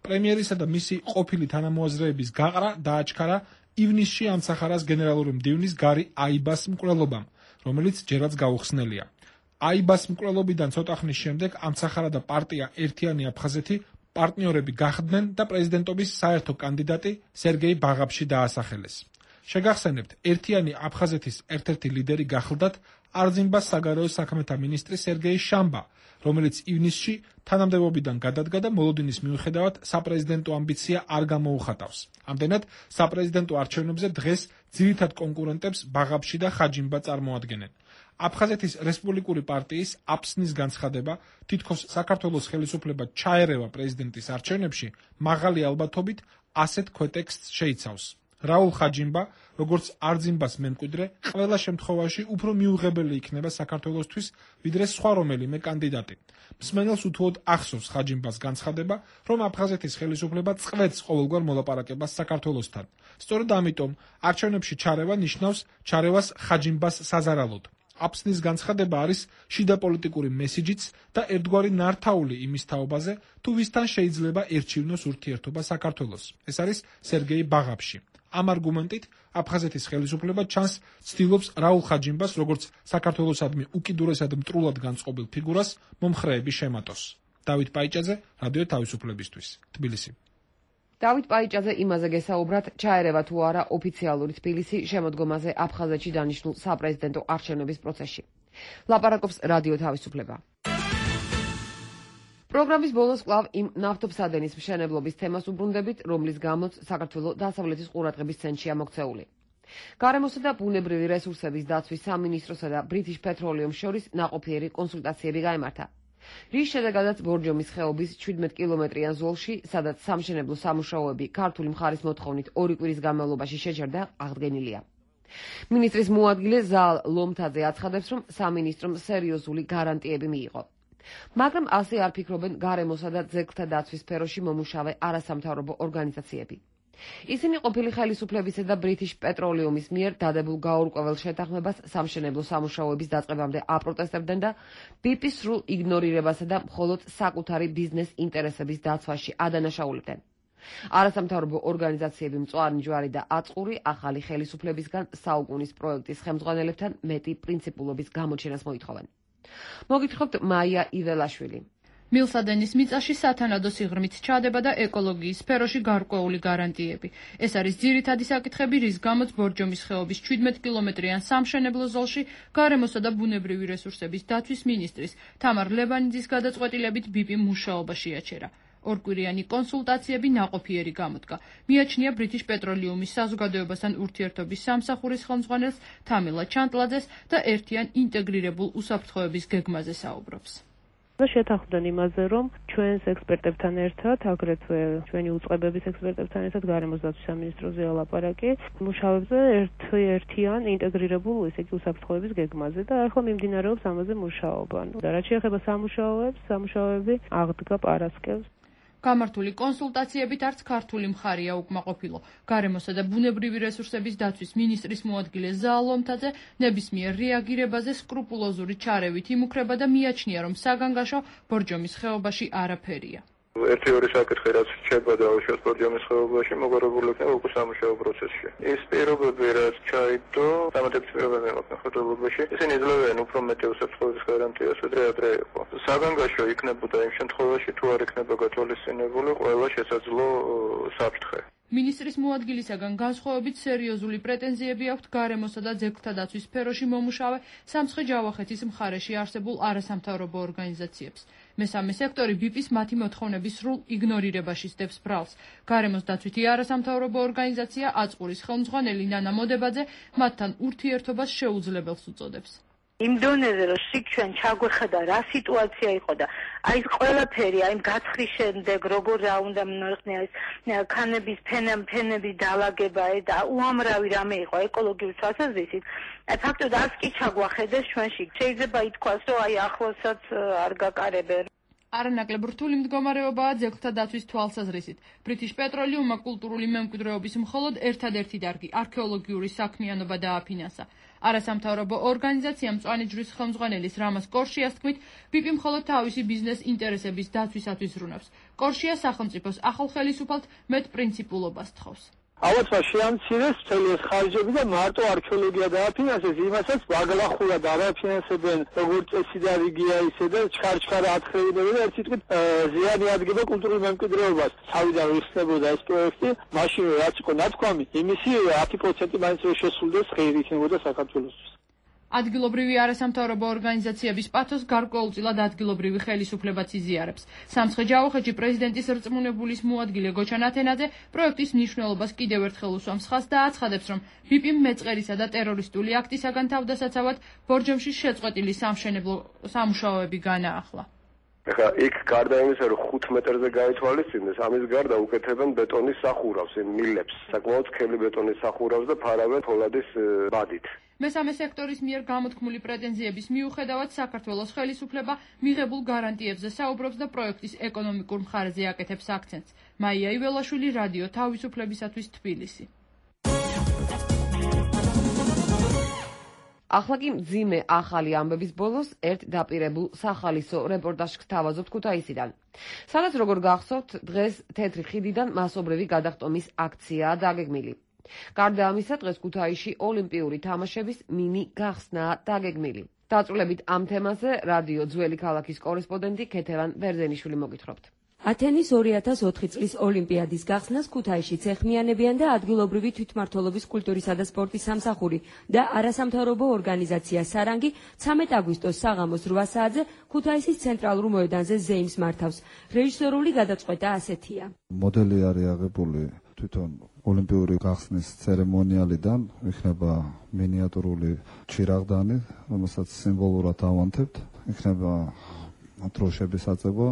S18: პრემიერისა და მისი ყოფილი თანამოაზრეების გაყრა დააჩქარა ივნისში ამცახარას გენერალური მდივნის გარი აიბას მკვლელობამ, რომელიც ჯერაც გაუხსნელია. აიბას მკვლელობიდან ცოტა ხნის შემდეგ ამცახარა და პარტია ერთიანი აფხაზეთი პარტნიორები გახდნენ და პრეზიდენტობის საერთო კანდიდატი სერგეი ბაღაფში დაასახელეს. შეგახსენებთ, ერთიანი აფხაზეთის ერთ-ერთი ლიდერი გახლდათ არძიმბას საგარეო საქმეთა მინისტრი სერგეი შამბა, რომელიც ივნისში თანამდებობიდან გადადგა და მოლოდინის მიუხედავად საპრეზიდენტო ამბიცია არ გამოუხატავს. ამდენად, საპრეზიდენტო არჩევნებზე დღეს ძირითად კონკურენტებს ბაღაფში და ხაჯიმბა წარმოადგენენ. აფხაზეთის რესპუბლიკური პარტიის აფსნის განცხადება, თითქოს საქართველოს ხელისუფლება ჩაერევა პრეზიდენტის არჩევნებში, მაღალი ალბათობით ასეთ ქვეტექსტს შეიცავს. რაულ ხაჯიმბა, როგორც არძიმბას მემკვიდრე, ყველა შემთხვევაში უფრო მიუღებელი იქნება საქართველოსთვის, ვიდრე სხვა რომელიმე კანდიდატი. მსმენელს უთუოდ ახსოვს ხაჯიმბას განცხადება, რომ აფხაზეთის ხელისუფლება წყვეტს ყოველგვარ მოლაპარაკებას საქართველოსთან. სწორედ ამიტომ არჩევნებში ჩარევა ნიშნავს ჩარევას ხაჯიმბას საზარალოდ. აფსნის განცხადება არის შიდა პოლიტიკური მესიჯიც და ერთგვარი ნართაული იმის თაობაზე, თუ ვისთან შეიძლება ერჩივნოს ურთიერთობა საქართველოს. ეს არის სერგეი ბაღაფში. ამ არგუმენტით აფხაზეთის ხელისუფლება ჩანს ცდილობს რაულ ხაჯიმბას, როგორც საქართველოსადმი უკიდურესად მტრულად განწყობილ ფიგურას მომხრეები შემატოს. დავით პაიჭაძე, რადიო თავისუფლებისთვის, თბილისი.
S1: დავით პაიჭაძე იმაზე გესაუბრათ, ჩაერევა თუ არა ოფიციალური თბილისი შემოდგომაზე აფხაზეთში დანიშნულ საპრეზიდენტო არჩევნების პროცესში. ლაპარაკობს რადიო თავისუფლება. პროგრამის ბოლოს კვლავ იმ ნავთობსადენის მშენებლობის თემას უბრუნდებით, რომლის გამოც საქართველო დასავლეთის ყურადღების ცენტრშია მოქცეული. გარემოსა და ბუნებრივი რესურსების დაცვის სამინისტროსა და British Petroleum შორის ნაყოფიერი კონსულტაციები გაიმართა. რის შედეგადაც ბორჯომის ხეობის შვიდმეტ კილომეტრიან ზოლში, სადაც სამშენებლო სამუშაოები ქართული მხარის მოთხოვნით ორი კვირის განმავლობაში შეჩერდა, აღდგენილია. მინისტრის მოადგილე ზალ ლომთაძე აცხადებს, რომ სამინისტრომ სერიოზული გარანტიები მიიღო. მაგრამ ასე არ ფიქრობენ გარემოსა და ძეგლთა დაცვის სფეროში მომუშავე არასამთავრობო ორგანიზაციები. ისინი ყოფილი ხელისუფლებისა და British Petroleum-ის მიერ დადებულ გაურკვეველ შეთანხმებას სამშენებლო სამუშაოების დაწყებამდე აპროტესტებდნენ და ბი პი-ს სრულ იგნორირებასა და მხოლოდ საკუთარი ბიზნეს ინტერესების დაცვაში ადანაშაულებდნენ. არასამთავრობო ორგანიზაციები მწვანე ჯვარი და აწყური ახალი ხელისუფლებისგან საუკუნის პროექტის ხელმძღვანელებთან მეტი პრინციპულობის გამოჩენას მოითხოვენ. მოგითხრობთ მაია იველაშვილი.
S19: მილსადენის მიწაში სათანადო სიღრმით ჩადება და ეკოლოგიის სფეროში გარკვეული გარანტიები. ეს არის ძირითადი საკითხები, რის გამოც ბორჯომის ხეობის შვიდმეტ კილომეტრიან სამშენებლო ზოლში გარემოსა და ბუნებრივი რესურსების დაცვის მინისტრის თამარ ლებანიძის გადაწყვეტილებით ბი პი მუშაობა შეაჩერა. ორკვირიანი კონსულტაციები ნაყოფიერი გამოდგა. მიაჩნია British Petroleum-ის საზოგადოებასთან ურთიერთობის სამსახურის ხელმძღვანელს თამილა ჩანტლაძეს და ერთიან ინტეგრირებულ უსაფრთხოების გეგმაზე საუბრობს.
S20: შეთანხმდნენ იმაზე, რომ ჩვენს ექსპერტებთან ერთად, აგრეთვე ჩვენი უწყებების ექსპერტებთან ერთად გარემოს დაცვის სამინისტროზე ალაპარაკი მუშაობებზე ერთ-ერთიან ინტეგრირებულ ისე კი უსაფრთხოების გეგმაზე და ახლა მიმდინარეობს ამაზე მუშაობა. და რაც შეეხება სამუშაოებს, სამუშაოები აღდგა პარასკევს.
S19: გამართული კონსულტაციებით არც ქართული მხარეა უკმაყოფილო. გარემოსა და ბუნებრივი რესურსების დაცვის მინისტრის მოადგილე ზაალ ლომთაძე ნებისმიერ რეაგირებაზე სკრუპულოზური ჩარევით იმუქრება და მიაჩნია, რომ საგანგაშო ბორჯომის ხეობაში არაფერია.
S16: ერთი ორი საკითხი რაც რჩება დაუშვათ ბორჯომის ხეობაში მოგარებული იქნება უკვე სამუშაო პროცესში. ეს პირობები რაც ჩაიდო, დამატებითი პირობები მეყოლა ხეთებობაში, ისინი იძლევენ უფრო მეტი უსაფრთხოების გარანტიას, ვიდრე ადრე იყო. საგანგაშო იქნებოდა იმ შემთხვევაში, თუ არ იქნება გათვალისწინებული ყველა შესაძლო საფრთხე.
S19: მინისტრის მოადგილისაგან განსხვავებით სერიოზული პრეტენზიები აქვთ გარემოსა და ძეგლთა დაცვის სფეროში მომუშავე სამცხე-ჯავახეთის მხარეში არსებულ არასამთავრობო ორგანიზაციებს. მესამე სექტორი ბი პი-ს მათი მოთხოვნების სრულ იგნორირებაში სდევს ბრალს. გარემოს დაცვითი არასამთავრობო ორგანიზაცია აწყურის ხელმძღვანელი ნანა მოდებაძე მათთან ურთიერთობას შეუძლებელს უწოდებს.
S21: იმ დონეზე რომ შიგ ჩვენ ჩაგვეხედა რა სიტუაცია იყო და აი ყველაფერი აი გაცხრის შემდეგ როგორ რა უნდა მოიხსნა ეს ქანების ფენები დალაგება და უამრავი რამე იყო ეკოლოგიური თვალსაზრისით ფაქტობრივად არც კი ჩაგვახედეს ჩვენში შეიძლება ითქვას რომ აი ახლოსაც არ გაკარებენ.
S19: არანაკლებ რთული მდგომარეობაა ძეგლთა დაცვის თვალსაზრისით. British Petroleum-მა კულტურული მემკვიდრეობის მხოლოდ ერთადერთი დარგი არქეოლოგიური საქმიანობა დააფინანსა. არასამთავრობო ორგანიზაცია მწვანე ჯვრის ხელმძღვანელის რამაზ კორშიას თქმით, ბი პი მხოლოდ თავისი ბიზნეს ინტერესების დაცვისათვის ზრუნავს. კორშია სახელმწიფოს ახალ ხელისუფალთ მეტ პრინციპულობას თხოვს.
S10: ავაცა შეამცირეს მთელი ეს ხარჯები და მარტო არქეოლოგია დააფინანსეს, იმასაც ბაგლახურად არაფინანსებენ, როგორც წესი და რიგია ისე და ჩქარ-ჩქარ ათხრევინებენ და ერთ სიტყვით ზიანი ადგება კულტურულ მემკვიდრეობას. თავიდან ვიხსნებოდა ეს პროექტი, მაშინ რაც იყო ნათქვამი, იმისი ათი პროცენტი მაინც რომ შესრულდეს, ხელი იქნებოდა საქართველოსთვის.
S19: ადგილობრივი არასამთავრობო ორგანიზაციების პათოს გარკვეულწილად ადგილობრივი ხელისუფლებაც იზიარებს. სამცხე-ჯავახეთში პრეზიდენტის რწმუნებულის მოადგილე გოჩან ათენაძე პროექტის მნიშვნელობას კიდევ ერთხელ უსვამს ხაზს და აცხადებს, რომ ბი პი მეწყერისა და ტერორისტული აქტისაგან თავდასაცავად ბორჯომში შეწყვეტილი სამშენებლო სამუშაოები განაახლა.
S3: ეხლა იქ გარდა იმისა, რომ ხუთ მეტრზე გაითვალისწინეს, ამის გარდა უკეთებენ ბეტონის სახურავს, იმ მილებს, საკმაოდ სქელი ბეტონის სახურავს და ფარავენ ფოლადის ბადით.
S19: მესამე სექტორის მიერ გამოთქმული პრეტენზიების მიუხედავად საქართველოს ხელისუფლება მიღებულ გარანტიებზე საუბრობს და პროექტის ეკონომიკურ მხარეზე აკეთებს აქცენტს. მაია იველაშვილი, რადიო თავისუფლებისათვის, თბილისი.
S1: ახლა კი მძიმე ახალი ამბების ბოლოს ერთ დაპირებულ სახალისო რეპორტაჟს გთავაზობთ ქუთაისიდან. სადაც როგორ გახსოვთ, დღეს თეთრი ხიდიდან მასობრივი გადახტომის აქციაა დაგეგმილი. გარდა ამისა, დღეს ქუთაისში ოლიმპიური თამაშების მინი გახსნაა დაგეგმილი. დაწვრილებით ამ თემაზე რადიო ძველი ქალაქის კორესპონდენტი ქეთევან ბერძენიშვილი მოგითხრობთ.
S22: ათენის ორი ათას ოთხი წლის ოლიმპიადის გახსნას ქუთაისშიც ეხმიანებიან და ადგილობრივი თვითმმართველობის კულტურისა და სპორტის სამსახური და არასამთავრობო ორგანიზაცია სარანგი ცამეტ აგვისტოს საღამოს რვა საათზე ქუთაისის ცენტრალურ მოედანზე ზეიმს მართავს. რეჟისორული გადაწყვეტა ასეთია.
S23: მოდელი არის აღებული თვითონ
S2: ოლიმპიური გახსნის ცერემონიალიდან იქნება მინიატურული ჩირაღდანი, რომელსაც სიმბოლურად ავანთებთ. იქნება დროშების აწევა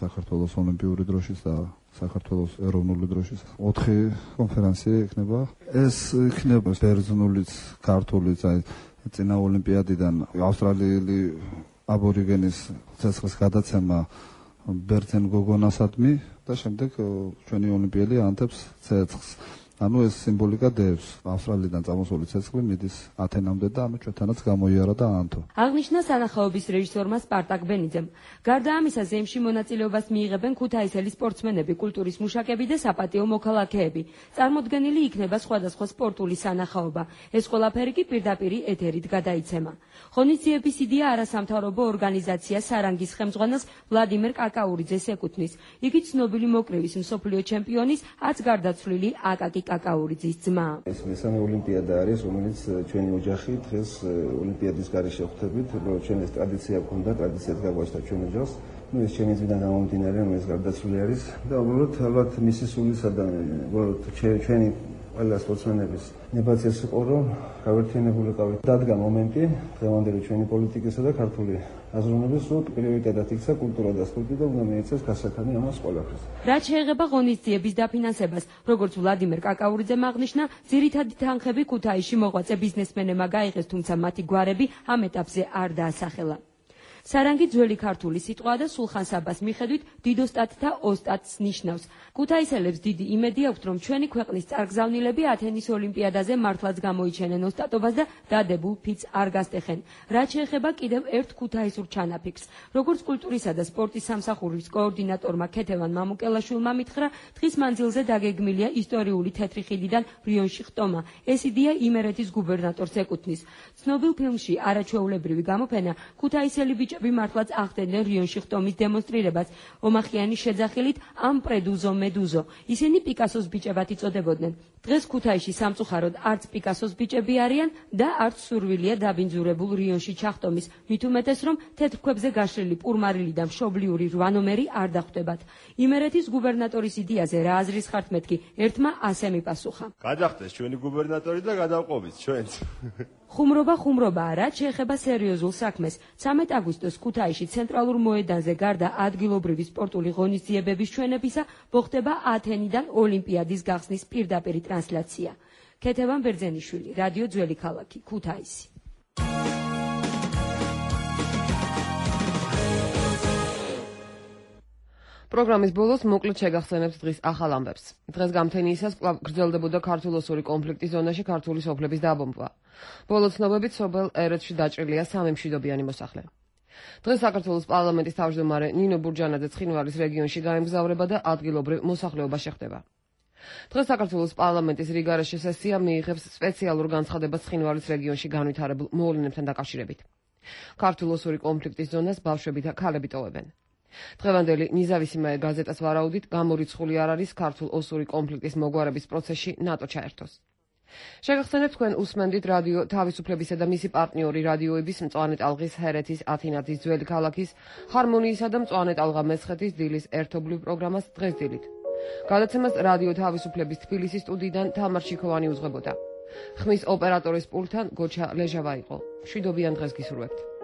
S2: საქართველოს ოლიმპიური დროშის და საქართველოს ეროვნული დროშის. ოთხი კონფერენცია იქნება. ეს იქნება ბერძნულიც, ქართულიც, აი წინა ოლიმპიადიდან ავსტრალიელი აბორიგენის ცეცხლის გადაცემა ბერძენ გოგონასადმი და შემდეგ ჩვენი ოლიმპიელი ანთებს ცეცხლს. ანუ ეს სიმბოლიკა დევს. ავსტრალიიდან წამოსული ცეცხლი მიდის ათენამდე და ანუ ჩვენთანაც გამოიარა და აანთო.
S22: აღნიშნა სანახაობის რეჟისორმა სპარტაკ ბენიძემ. გარდა ამისა, ზემში მონაწილეობას მიიღებენ ქუთაისელი სპორტსმენები, კულტურის მუშაკები და საპატიო მოქალაქეები. წარმოდგენილი იქნება სხვადასხვა სპორტული სანახაობა. ეს ყველაფერი კი პირდაპირ ეთერით გადაიცემა. ღონისძიების იდეა არასამთავრობო ორგანიზაცია სარანგის ხელმძღვანელს ვლადიმერ კაკაურიძეს ეკუთვნის. იგი ცნობილი მოკრივის მსოფლიო ჩემპიონის, აც გარდაცვლილი აკაკი კაკაურიძის ძმა.
S4: ეს მესამე ოლიმპიადა არის, რომელიც ჩვენი ოჯახი დღეს ოლიმპიადის გარეშე ხვდებით, უბრალოდ ჩვენ ეს ტრადიცია გქონდა, ტრადიციად გაგვაჩნდა ჩვენ ოჯახს. ნუ ეს ჩემი ძმიდან გამომდინარე, რომელიც გარდაცვლილი არის და უბრალოდ ალბათ მისი სულისა და უბრალოდ ჩვენი ყველა სპორტსმენების ნებაციას იყო, რომ გავერთიანებულიყავით. დადგა მომენტი დღევანდელი ჩვენი პოლიტიკისა და ქართული აზროვნების, რომ პრიორიტეტად იქცა კულტურა და სპორტი და უნდა მიეცეს გასახანი ამას ყველაფერს.
S22: რაც შეეხება ღონისძიების დაფინანსებას, როგორც ვლადიმერ კაკაურიძემ აღნიშნა, ძირითადი თანხები ქუთაისში მოღვაწე ბიზნესმენებმა გაიღეს, თუმცა მათი გვარები ამ ეტაპზე არ დაასახელა. სარანგი ძველი ქართული სიტყვაა და სულხან საბას მიხედვით დიდოსტატთა ოსტატს ნიშნავს. ქუთაისელებს დიდი იმედი აქვთ, რომ ჩვენი ქვეყნის წარგზავნილები ათენის ოლიმპიადაზე მართლაც გამოიჩენენ ოსტატობას და დადებულ ფიცს არ გასტეხენ. რაც შეეხება კიდევ ერთ ქუთაისურ ჩანაფიქრს, როგორც კულტურისა და სპორტის სამსახურის კოორდინატორმა ქეთევან მამუკელაშვილმა მითხრა, დღის მანძილზე დაგეგმილია ისტორიული თეთრი ხიდიდან რიონში ხტომა. ეს იდეა იმერეთის გუბერნატორს ეკუთვნის. ცნობილ ფილმში არაჩვეულებრივი გამოფენა ქუთაისელი ბიჭები მართლაც ახდენდნენ რიონში ხტომის დემონსტრირებას. ომახიანი შეძახილით ამ პრედუზო მედუზო. ისინი პიკასოს ბიჭებად იწოდებოდნენ. დღეს ქუთაისში სამწუხაროდ არც პიკასოს ბიჭები არიან და არც სურვილია დაბინძურებულ რიონში ჩახტომის. მით უმეტეს, რომ თეთრ ქვებზე გაშლილი პურმარილი და მშობლიური რვა ნომერი არ დახვდებათ. იმერეთის გუბერნატორის იდეაზე რა აზრის ხართ მეთქი? ერთმა ასე მიპასუხა.
S23: გადახდეს ჩვენი გუბერნატორი და გადავყობით ჩვენც.
S22: ხუმრობა ხუმრობაა, რაც შეეხება სერიოზულ საქმეს. ცამეტ აგვისტოს ქუთაისში ცენტრალურ მოედანზე გარდა ადგილობრივი სპორტული ღონისძიებების ჩვენებისა მოხდება ათენიდან ოლიმპიადის გახსნის პირდაპირი ტრანსლაცია. ქეთევან ბერძენიშვილი, რადიო ძველი ქალაქი, ქუთაისი.
S1: პროგრამის ბოლოს მოკლედ შეგახსენებთ დღის ახალ ამბებს. დღეს გამთენიისას კვლავ გრძელდებოდა ქართულ-ოსური კონფლიქტის ზონაში ქართული სოფლების დაბომბვა. ბოლო ცნობებით სოფელ ერეთში დაჭრილია სამი მშვიდობიანი მოსახლე. დღეს საქართველოს პარლამენტის თავმჯდომარე ნინო ბურჯანაძე ცხინვალის რეგიონში გაემგზავრება და ადგილობრივ მოსახლეობას შეხვდება. დღეს საქართველოს პარლამენტის რიგარეშე სესია მიიღებს სპეციალურ განცხადებას ცხინვალის რეგიონში განვითარებულ მოვლენებთან დაკავშირებით. ქართულ-ოსური კონფლიქტის ზონას ბავშვები და ქალები ტოვებენ. დღევანდელი ნიზავისიმაე გაზეტას ვარაუდით გამორიცხული არ არის ქართულ-ოსური კონფლიქტის მოგვარების პროცესში ნატო ჩაერთოს. შეგახსენებთ თქვენ უსმენდით რადიო თავისუფლებისა და მისი პარტნიორი რადიოების მწვანე ტალღის ჰერეთის ათინათის ძველი ქალაქის ჰარმონიისა და მწვანე ტალღა მესხეთის დილის ერთობლივ პროგრამას დღეს დილით. გადაცემას რადიო თავისუფლების თბილისის სტუდიიდან თამარ შიქოვანი უძღვებოდა. ხმის ოპერატორის პულტთან გოჩა ლეჟავა იყო. მშვიდობიან დღეს გისურვებთ.